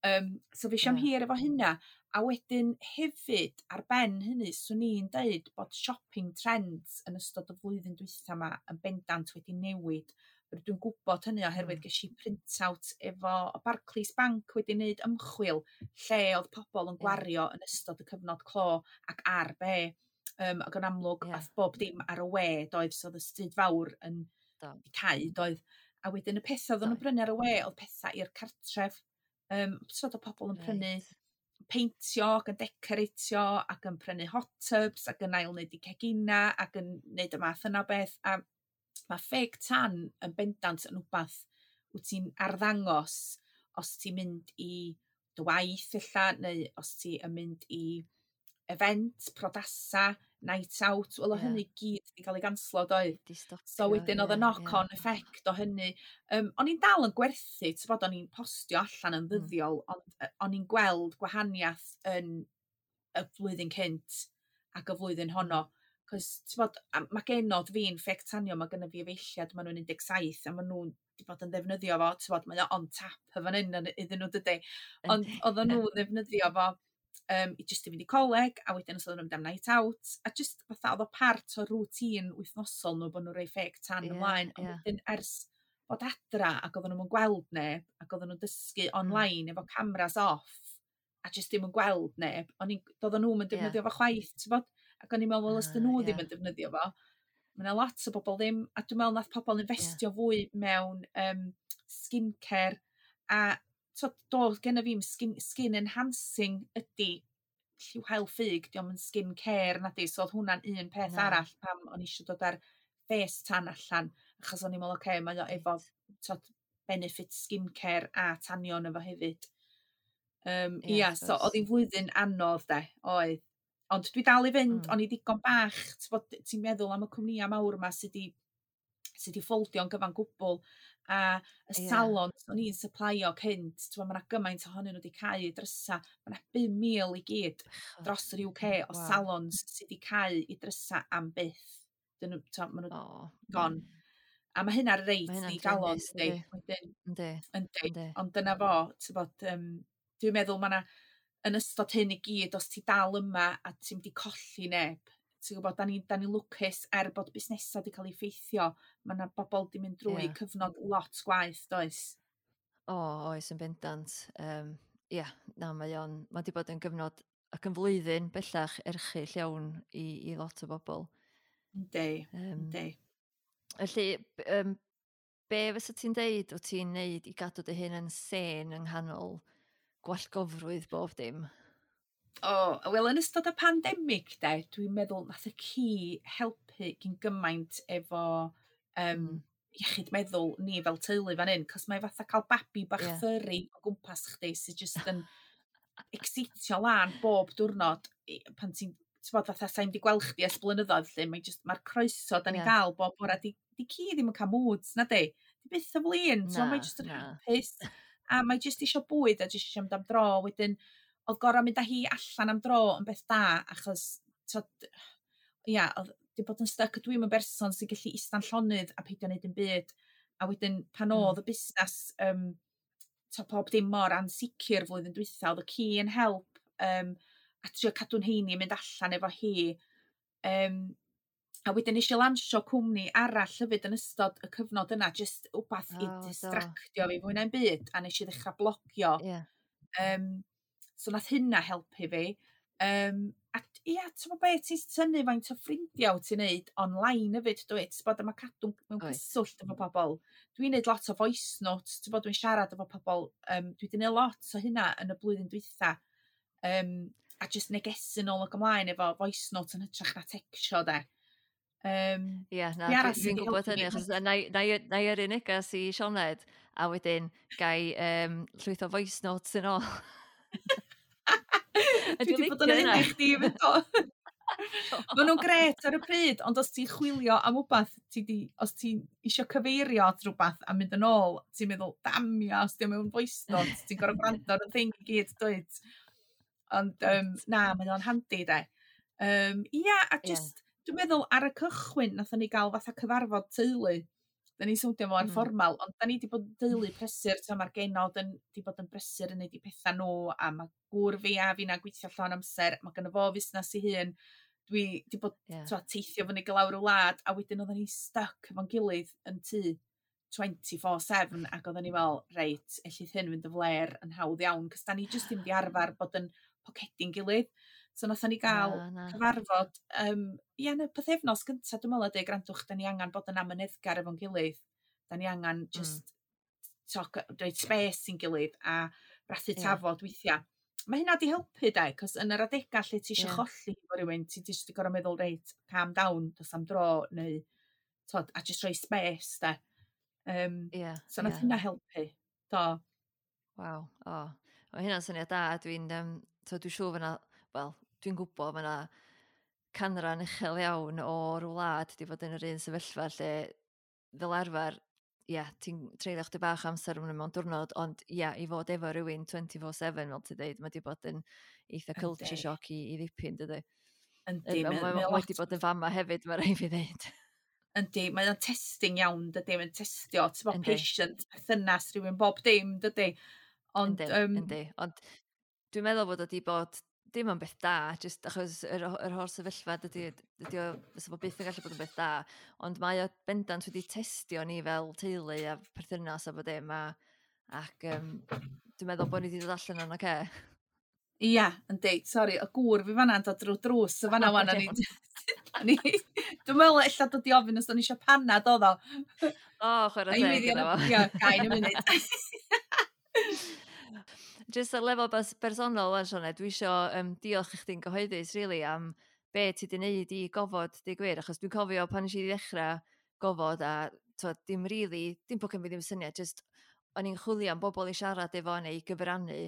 Um, so fues i am Ie. hir efo hynna. A wedyn hefyd, ar ben hynny, swn i'n deud bod shopping trends yn ystod y flwyddyn dwytha yma yn bendant wedi newid. Dwi'n gwybod hynny oherwydd Mm. ges i print-out efo o Barclays Bank wedi wneud ymchwil lle oedd pobl yn Ie. gwario yn ystod y cyfnod clo ac ar be. Um, ac yn amlwg, Ie. ath bob dim ar y we, doedd, so oedd y stryd fawr yn Do. 'di cau, doedd. A wedyn y pethau oedden nhw'n Doedd. brynu ar y we oedd pethau i'r cartref. Um, so oedd pobl yn prynu Reit. peintio ac yn decoratio ac yn prynu hot tubs ac yn ail wneud i cegina ac yn wneud y math yna o beth. A mae fake tan yn bendant yn wbath wyt ti'n arddangos os ti'n mynd i dy waith ella, neu os ti yn mynd i event, priodasa, night out, wel o Ie. hynny gyd wedi cael ei ganslo, doedd? Di stopio. So wedyn oedd y ie, knock-on ie. effect o hynny. Um, o'n i'n dal yn gwerthu, ti'n bod, o'n i'n postio allan yn Mm. ddyddiol, ond yy, o'n i'n gweld gwahaniaeth yn y flwyddyn cynt ac y flwyddyn honno. Cos, ti'n bod, a mae genod fi'n fake tanio, mae gynna fi efeilliad, maen nhw'n un deg saith a maen nhw'n 'di bod yn ddefnyddio fo, ti'n bod, mae o on tap y fan hyn yn- iddyn nhw, dydy. Ond Yndi. oedden nhw'n ddefnyddio fo um, i jyst i fynd i coleg, a wedyn os oedden nhw'n mynd am night out, a just fatha oedd o part o routine wythnosol nhw bod nhw'n rhoi fake tan Ie, ymlaen. Ond ie. wedyn ers bod adra ac oedden nhw'n gweld neb, ac oedden nhw'n dysgu Mm. online efo cameras off, a jyst ddim yn gweld neb, o'n i'n, doedden nhw'n Ie. defnyddio fo chwaith, ti'n bod? Ac o'n i'n meddwl, wel, os dyn Ah, nhw ddim ie. yn defnyddio fo, mae yna lot o bobl ddim, a dwi'n meddwl nath pobl investio fwy mewn um, skincare, a t'od, do, genna fi'm skin, skin enhancing ydy lliw haul ffug, dio'm yn skin care nadi, so oedd hwnna'n un peth Na. arall pam o'n i eisiau dod ar face tan allan, achos o'n i'n meddwl, oce, mae o efo Reit. t'od, benefit skincare a tanio yno fo hefyd. Um, Ie, ia, wrth so gwrs. oedd hi'n flwyddyn anodd de, oedd. Ond dwi dal i fynd, Mm. o'n i ddigon bach, t'bod, ti'n meddwl am y cwmnïau mawr yma sydd 'di sydd 'di ffoldio'n gyfan gwbl, a y Ie. salons o'n i'n supplyio cynt, t'mo', ma' 'na gymaint ohonyn nhw wedi cau eu drysa, ma' 'na bum mil i gyd Bechod. dros yr U K o Waw. salons sydd wedi cau i drysa am byth. Dyn nhw, t'mo', ma' nhw O. gone. A ma' hynna'n reit Ma' hynna'n ddigalon, druenus, dydi? dydi? Wedyn, Yndi. yndi, Yndi. ond dyna fo, t'bod, um, dwi'n meddwl ma' 'na yn ystod hyn i gyd, os ti dal yma a ti'm 'di colli neb, ti'n gwybod, da ni'n da ni lwcus er bod busnesau wedi cael eu effeithio, ma' 'na bobl 'di mynd drwy Ie. cyfnod lot gwaeth, does? O, oes, yn bendant. Um, ia, na, mae o'n, mae 'di bod yn gyfnod ac yn flwyddyn bellach erchyll iawn i, i lot o bobl. Yndi, Um, yndi. Felly, b- um, be fysa ti'n deud wyt ti'n neud i gadw dy hun yn sane yng nghanol gwallgofrwydd bob dim? O, wel, yn ystod y pandemig de, dwi'n meddwl nath y ci helpu gyn gymaint efo um, Mm. iechyd meddwl ni fel teulu fan hyn, cos mae fatha cael babi bach Ie. furry o gwmpas chdi sydd jyst yn excitio lan bob diwrnod i- pan ti'n ti'n bod, fatha sai'm 'di gweld chdi ers blynyddoedd 'lly, mae jyst mae'r croeso da ni'n Ie. gael bob bora, di, di ci ddim yn cael moods na di. Di byth yn flin, so mae Na, jyst yn na. hapus. A mae jyst isio bwyd a jyst isio mynd am dro. Wedyn, oedd gorau mynd â hi allan am dro yn beth da, achos, t'od, ia, oedd 'di bod yn stuck. Dwi'm yn berson sy'n gallu ista'n llonydd a peidio wneud dim byd. A wedyn pan Mm. oedd y busnes, um, to pob dim mor ansicr flwyddyn dwytha, oedd y ci yn help, um, a trio cadw'n heini mynd allan efo hi. Um, a wedyn nes i lansio cwmni arall hefyd yn ystod y cyfnod yna, just wbath i O, do. distractio fi fwy na'm byd, a nes i ddechrau blogio. Ie. Um, so nath hynna helpu fi. Um, a ia, ti'n gwbod be, ti'n tynnu faint o ffrindiau wyt ti'n neud online hefyd, dwyt? Ti'n bod, a mae cadw mewn Wyt. cyswllt efo pobl. Dwi'n neud lot o voice notes, ti'n bod, dwi'n siarad efo pobl. Um, dwi wedi neud lot o hynna yn y blwyddyn dwytha. Um, a just negesu nôl ac ymlaen efo voice notes yn hytrach na textio, de. Um, Ie, na, Be arall dwi- sydd dwi'n wedi gwybod helpu hynny, fi? achos na i- na i na i yrru negas i Sioned, a wedyn gai um, llwyth o voice notes yn ôl. A Dwi dwi'n wedi bod yn licio hynna. hynny chdi fyd o. Maen nhw'n gret ar y pryd, ond os ti'n chwilio am wbath, ti di, os ti'n isio cyfeirio at rhywbeth a mynd yn ôl, ti'n meddwl, damia, os di o mewn voice note, ti'n gorfod gwrando ar y thing i gyd, dwyt? Ond um, na, mae o'n handi, de. Um, ia, a Ie. just, dwi'n meddwl ar y cychwyn, nathon ni gael fatha cyfarfod teulu. Da ni'n swndio mor Mm. fformal, ond da ni wedi bod yn deulu prysur, so mae'r genod yn di bod yn brysur yn neud i pethau nhw, a mae gŵr fi a fi'na gweithio llawn amser, mae gynno fo fusnes ei hun. Dwi di bod Ie. twa, teithio fyny i lawr y wlad, a wedyn oedden ni stuck efo'n gilydd yn tŷ twenty-four seven, ac oedden ni fel, reit, ellith hyn fynd yn fler yn hawdd iawn, cos da ni jyst ddim di arfer bod yn pocedi'n gilydd. So nathon ni gael Na, na. cyfarfod, um, ia, yn y pythefnos gyntaf, dwi'n meddwl, a deud, "Grandwch, da ni angen bod yn amyneddgar efo'n gilydd. Da ni angen Mm. just talk, rhoid space i'n gilydd a brathu Ie. tafod weithiau." Mae hynna di helpu, de, cos yn yr adega lle ti eisiau Ie. cholli efo rhywun, ti jyst di gorfod meddwl, "Reit, calm down, dos am dro," neu, tod, a jyst rhoi space, de. Um, Ie, so nath ie. hynna helpu, do. Waw, o. Mae hynna'n syniad da. Dwi'n, um, so dwi'n siŵr fyna, wel, dwi'n gwybod fyna canran uchel iawn o'r wlad di fod yn yr un sefyllfa lle fel arfer, ie, ti'n treulio chdi bach o amser mewn mewn diwrnod, ond ie, i fod efo rhywun twenty-four seven, fel ti'n deud, mae di bod yn eitha culture Yndi. shock i, i ddipyn, dydy. Yndi, Mae mae ma, mae ma lot wedi bod yn fama hefyd, mae rhaid fi ddeud. Yndi, mae o'n testing iawn, dydy, mae'n testio, ti'n bod Yndi. patient, perthynas rhywun, bob dim, dydy. Ond, Yndi, um, yndi. Ond dwi'n meddwl bod o wedi bod dim yn beth da, jyst achos yr, yr holl sefyllfa dydy, dydy o, fysa fo byth yn gallu bod yn beth da, ond mae o bendant wedi testio ni fel teulu a perthynas a bod dim, a, ac um, dwi'n meddwl bod ni wedi dod allan o'n oce. Ia, yndi, sori, y gŵr fi fanna'n dod drwy drws y fanna wan, a ni, a ni, dwi'n meddwl ella dod i ofyn os o'n i eisiau panad oedd o. O, chwarae Na i teg weiddi iddo arno- fo. Ia, gai yn y munud. Jyst ar lefel bas bersonol wan, Sioned, dwi isio um, diolch i chdi'n gyhoeddus, really, am be ti 'di wneud i gofod, deud gwir, achos dwi'n cofio pan nes i ddechrau gofod a t'wod, dim really, dim bod gen fi ddim syniad, just o'n i'n chwilio am bobl i siarad efo neu i gyfrannu,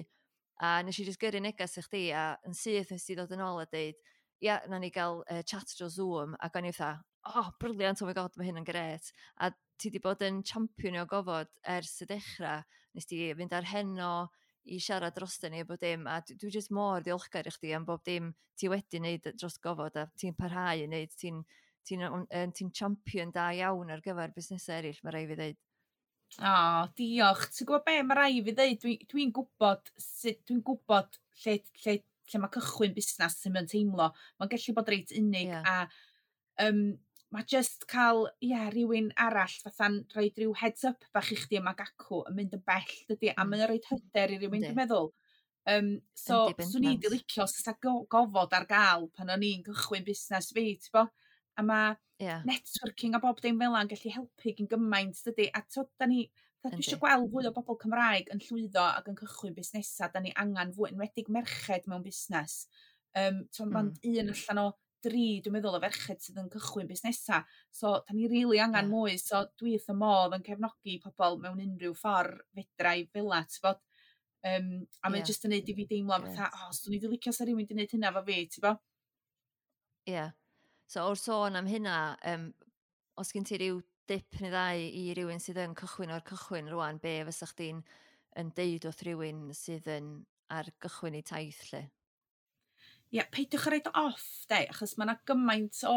a nes i just gyrru neges i chdi, a yn syth nes ti ddod yn ôl a deud, "Ia, na ni gael uh, chat dros Zoom," ac o'n i fatha, "Oh, brilliant, oh my God, mae hyn yn gret." A ti di bod yn champion o gofod ers y dechrau, nes ti fynd ar Heno i siarad drosto ni a bod dim, a dwi dwi jyst mor ddiolchgar i chdi am bob dim ti wedi wneud dros gofod a ti'n parhau i wneud, ti'n ti'n ti ti champion da iawn ar gyfer busnesau eraill, mae rhaid fi ddeud. O, diolch. Ti'n gwybod be, mae rai fi ddeud, dwi'n dwi gwybod sut, dwi'n gwybod lle, lle, lle mae cychwyn busnes sy'n mynd teimlo. Mae'n gallu bod reit unig Ie. a um, mae just cael, ie, rhywun arall fatha'n rhoi rhyw heads up bach i chdi yma gacw yn mynd yn bell, dydy, a Mm. mae'n rhoi hyder i rywun, Yndi. dwi'n meddwl. Um, so, Yndi, swn i di bendant. licio os oes go gofod ar gael pan o'n i'n cychwyn busnes fi, ti'n bo? A mae Ie, networking a bob dim fel 'na'n gallu helpu gyn gymaint, dydy? A t'od, da ni, fatha dwi Yndi. eisiau gweld fwy o bobl Cymraeg yn llwyddo ac yn cychwyn busnesau. Da ni angen fwy, enwedig merched mewn busnes. Um, t'od, Mm. mond un allan o dri, dwi'n meddwl, o ferched sydd yn cychwyn busnesau. So, da ni rili angen Ie. mwy. So, dwi wrth y modd yn cefnogi pobl mewn unrhyw ffordd fedra i fel 'a, ti'n bod? Um, a mae Ie. jyst yn neud i fi deimlo fatha, Grêt. "O, swn i 'di licio sa rhywun 'di neud hynna efo fi," ti'n bo? Ie. So, o'r sôn am hynna, um, os gen ti ryw dip neu ddau i rywun sydd yn cychwyn o'r cychwyn rwan, be fysa chdi'n yn deud wrth rywun sydd yn ar gychwyn eu taith, lle? Ie, peidiwch â roid o off, de, achos mae yna gymaint o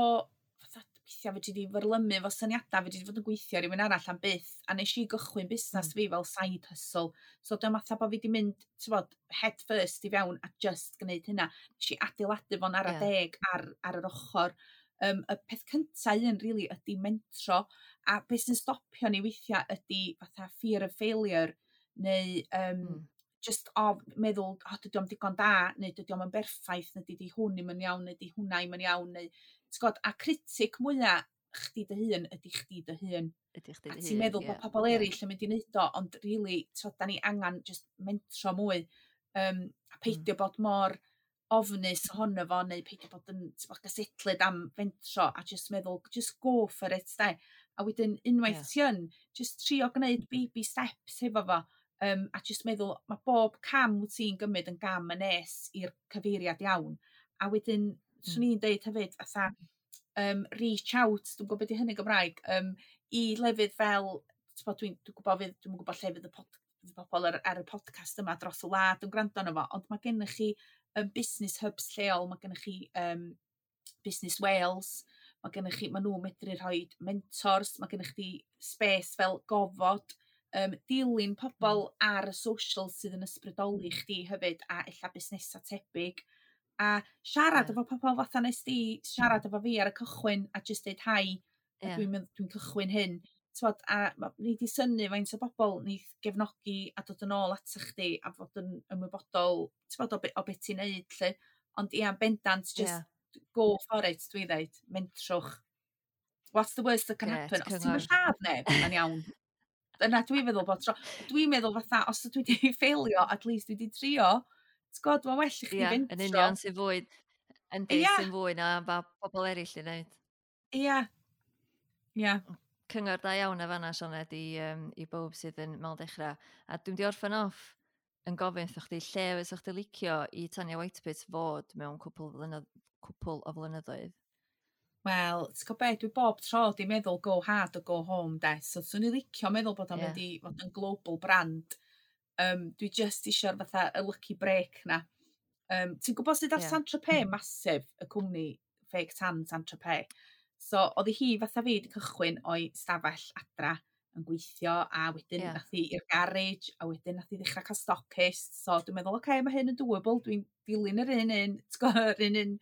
fatha, weithiau weithiau fedri di fyrlymu efo syniadau, fedri di fod yn gweithio ar rywun arall am byth, a nes i gychwyn busnes Mm. fi fel side hustle. So dyma fatha bod fi di mynd, t'bod, head first i fewn a just gwneud hynna. Nes i adeiladu fo'n ara Ie. deg ar, ar yr ochr. Um, y peth cynta un, really, ydy mentro, a beth sy'n stopio ni weithiau ydy fatha fear of failure, neu um, Mm. just o meddwl, "O, dydy o'm digon da," neu "Dydy o'm yn berffaith," neu "Dydy hwn ddim yn iawn," neu "Dydy hwnna ddim yn iawn," neu ti'n gwbod, a critic mwya chdi dy hun ydy chdi dy hun. Ydy chdi A dy ti'n hun, meddwl ie, bod pobl ie. eraill yn mynd i wneud o, ond really, t'od, da ni angen just mentro mwy, um, a peidio mm. bod mor ofnus ohono fo, neu peidio bod yn, t'bod, gysetlyd am fentro, a just meddwl, just go for it, de. A wedyn, unwaith Ie. ti yn, just trio gwneud baby steps hefo fo, um, a just meddwl, mae bob cam wyt ti'n gymryd yn gam yn nes i'r cyfeiriad iawn. A wedyn, swn Mm. i'n deud hefyd, fatha, um, reach out, dwi'n gwybod beth i hynny Gymraeg, um, i lefydd fel, t'bod, dwi'n dwi gwybod fydd, dwi'n gwybod lle fydd y pod, fydd pobl ar, ar y podcast yma dros y wlad yn gwrando arno fo, ond mae gennych chi um, business hubs lleol, mae gennych chi um, Business Wales, mae gennych chi, mae nhw'n medru rhoi mentors, mae gennych chi space fel Gofod, um, dilyn pobl mm. ar y social sydd yn ysbrydoli chdi hefyd, a ella busnesau tebyg, a siarad Ie. efo pobl fatha nes di siarad efo fi ar y cychwyn a just deud hi, a Ie. dwi'n mynd, dwi'n cychwyn hyn. T'mod, a ma' nei di synnu faint o bobl neith gefnogi a dod yn ôl ata chdi a fod yn ymwybodol, t'mod, o be, o be ti'n neud, lly. Ond ia, bendant, just Ie. go for it, dwi'n dweud, mentrwch. What's the worst that can Grêt, happen? Os ti'n cyngor. lladd neb, mae'n iawn. Dyna dwi'n feddwl bod tro. Dwi'n meddwl fatha, os dwi wedi ffeilio, at least dwi wedi trio. Ti'n gwybod, mae'n well i chdi Ie, yn fentro. union, sy'n fwy, yndi, Ia. sy'n fwy na ba bobl eraill i wneud. Ia. Ia. Cyngor da iawn a fanna, Sioned, i, um, i bawb sydd yn mewn dechrau. A dwi'n di orffen off yn gofyn wrtho chdi lle fysa chdi licio i Tanya Whitepit fod mewn cwpl, flynydd, cwpl o flynyddoedd. Wel, ti'n gwybod be, dwi bob tro di meddwl go hard or go home, de. So, swn i licio meddwl bod o'n Ie. mynd i fod yn global brand. Um, dwi just isio'r fatha y lucky break na. Um, ti'n gwybod sydd ar Ie. Saint-Tropez massive, y cwmni fake tan Saint-Tropez. So, oedd hi fatha fi wedi cychwyn o'i stafell adra yn gweithio, a wedyn Ie. nath hi i'r garage, a wedyn nath hi ddechrau cael stockist. So, dwi'n meddwl, oce, okay, mae hyn yn doable, dwi'n dilyn yr un un, ti'n gwbod, yr un un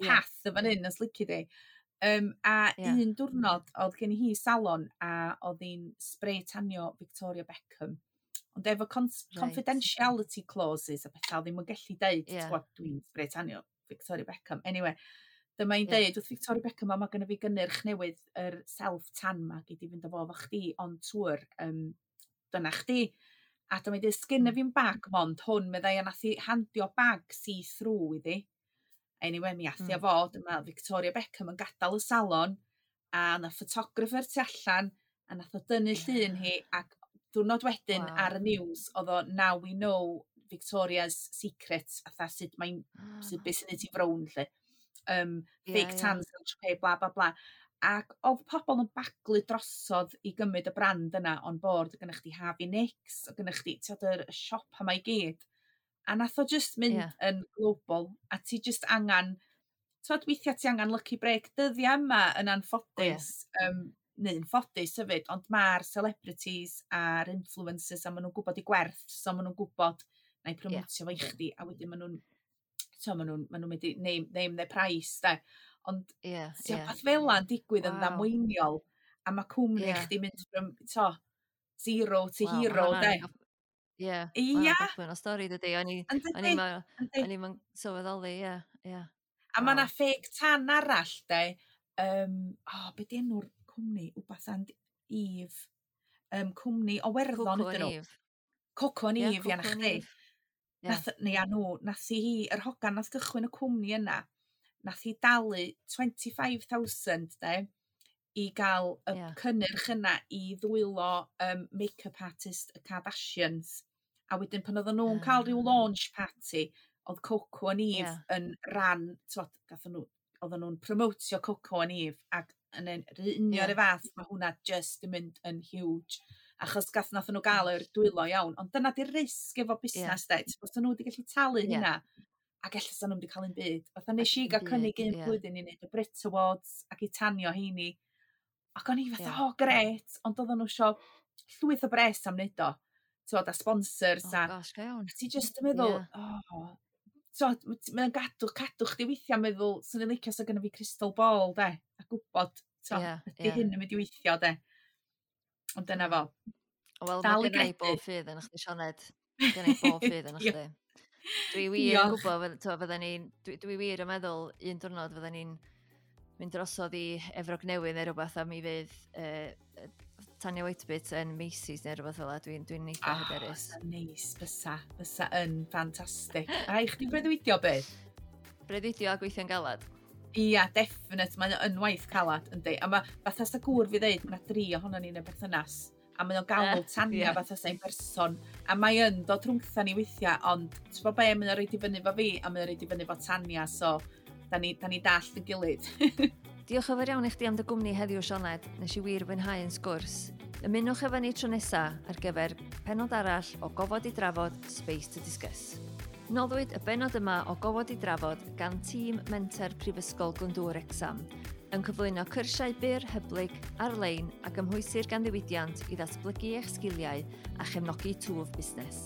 Ie. path y fan hyn, os lici di. Um, a Ie. un diwrnod, oedd gen i hi salon, a oedd hi'n spray tanio Victoria Beckham. Ond efo cons- Reit. confidentiality clauses a pethau, ddim yn gallu deud, Ie. yeah. Gwybod, "Dwi'n spray tanio Victoria Beckham." Anyway, dyma hi'n Ie. deud wrth Victoria Beckham, "O, mae gennym fi gynnyrch newydd, yr self-tan ma, gei di fynd â fo efo chdi on tour, um, dyna chdi." A dyma hi'n deud, "Sgynna Mm. fi'n bag mond hwn," meddai, a nath hi handio bag see-through iddi. Anyway, mi ath hi â Mm. fo, dyma Victoria Beckham yn gadael y salon, a na photographer tu allan, a nath o dynnu llun hi, ac diwrnod wedyn Waw. ar y news, oedd o, "Now we know Victoria's secret," fatha sut mae'n, sut beth sy'n neud hi frown, lle. Um, Ie, fake ie. tans, Saint-Tropez, bla bla bla. Ac oedd pobl yn baglu drosodd i gymryd y brand yna on board. Oedd gennych chdi Harvey Nicks, oedd gennych chdi, ti'n yr y siop yma i gyd. A nath o just mynd Ie. yn global. A ti just angen, ti'n weithiau ti angen lucky break. Dyddiau yma yn anffodus, um, neu'n ffodus hefyd, ond mae'r celebrities a'r influencers a maen nhw'n gwybod i gwerth, so maen nhw'n gwybod na i promotio fo i chdi, a wedyn maen nhw'n, so maen nhw'n, maen nhw'n mynd i name, name their price, de. Ond Ie, ti ie. peth fel 'na'n digwydd yn Waw. ddamweiniol, a mae cwmni Ie. chdi mynd from, to, zero to Waw, ma' hero, de. hwnna'n gof- Ie, ma' Ia. hwnna'n gochwyn o stori dydi. O'n i, Yn o'n dydi? i'm yn- Yndi. o'n i'm yn sylweddoli, ie, ie. A mae 'na Waw. fake tan arall, de. Um, oh, be di enw'r cwmni? Wbath and Eve. Um, cwmni o Werddon Coco ydyn and nhw. Eve. Coco and Ie, Eve, ia, na Coco and chdi. Eve. Ie. Nath, neu a nhw, nath hi, yr hogan nath gychwyn y cwmni yna, nath hi dalu twenty-five thousand, de, i gael y Ie. cynnyrch yna i ddwylo um, make-up artist y Kardashians. A wedyn pan oedden nhw'n cael rhyw Ah. launch party, oedd Coco and Eve Ie. yn ran, t'wod, gathon nhw, oedden nhw'n promotio Coco and Eve, ac yn yn yr union Ie. y fath, mae hwnna just yn mynd yn huge. Achos gath nath nhw gael yr dwylo iawn. Ond dyna di'r risg efo busnes, de. Os nhw wedi gallu talu Ie. hynna, Ac ella sa nhw'n wedi cael un byd. Fatha nes i gael cynnig un yeah. blwyddyn i wneud y Brit Awards ac i tanio heini. Ac o'n i fatha, yeah. Oh, gret, ond oedden nhw isio llwyth o bres am wneud o. T'wod, a sponsors oh, a... Gosh, go iawn. A ti just yn meddwl, yeah. Oh, t'wod, mae'n gadw, cadw chdi weithiau meddwl, swn i'n licio sa gynna fi crystal ball, de, a gwybod, t'wod, yeah, ydy yeah. hyn yn mynd i weithio, de. Ond dyna fo. Wel, mae gynna i bob ffydd yn chdi, Sioned. Gynna i bob ffydd yn chdi. Dwi wir yn gwybod, fydden ni'n, dwi, dwi wir yn meddwl un diwrnod fydden ni'n mynd drosodd i Efrog Newydd neu rhywbeth a mi fydd uh, Tanya Whitebit yn Macy's neu rhywbeth fel 'a. Dwi'n dwi eitha oh, hyderus. Oh, neis, bysa, bysa yn ffantastig. A i chdi breuddwydio beth? Breuddwydio a gweithio'n galad. Ia, definite, mae'n yn waith calad, yndi. A mae, fatha sa gŵr fi ddeud, mae yna dri ohono ni yn y berthynas. A mae o'n galw Tanya yeah. fatha sa'n person. A mae yn dod rhwngtha ni weithiau, ond ti'n bod be, mae o'n rhaid i fyny fo fi, a mae o'n rhaid i fyny fo Tanya, so da ni, da ni dallt yn gilydd. Diolch yn fawr iawn i chdi am dy gwmni heddiw, Sioned. Nes i wir fwynhau yn sgwrs. Ymunwch efo ni tro nesa ar gyfer pennod arall o Gofod i Drafod Space to Discuss. Noddwyd y bennod yma o Gofod i Drafod gan tîm Menter Prifysgol Glyndŵr Wrecsam, yn cyflwyno cyrsiau byr hyblyg ar-lein a gymhwysir gan ddiwydiant i ddatblygu eich sgiliau a chefnogi twf busnes.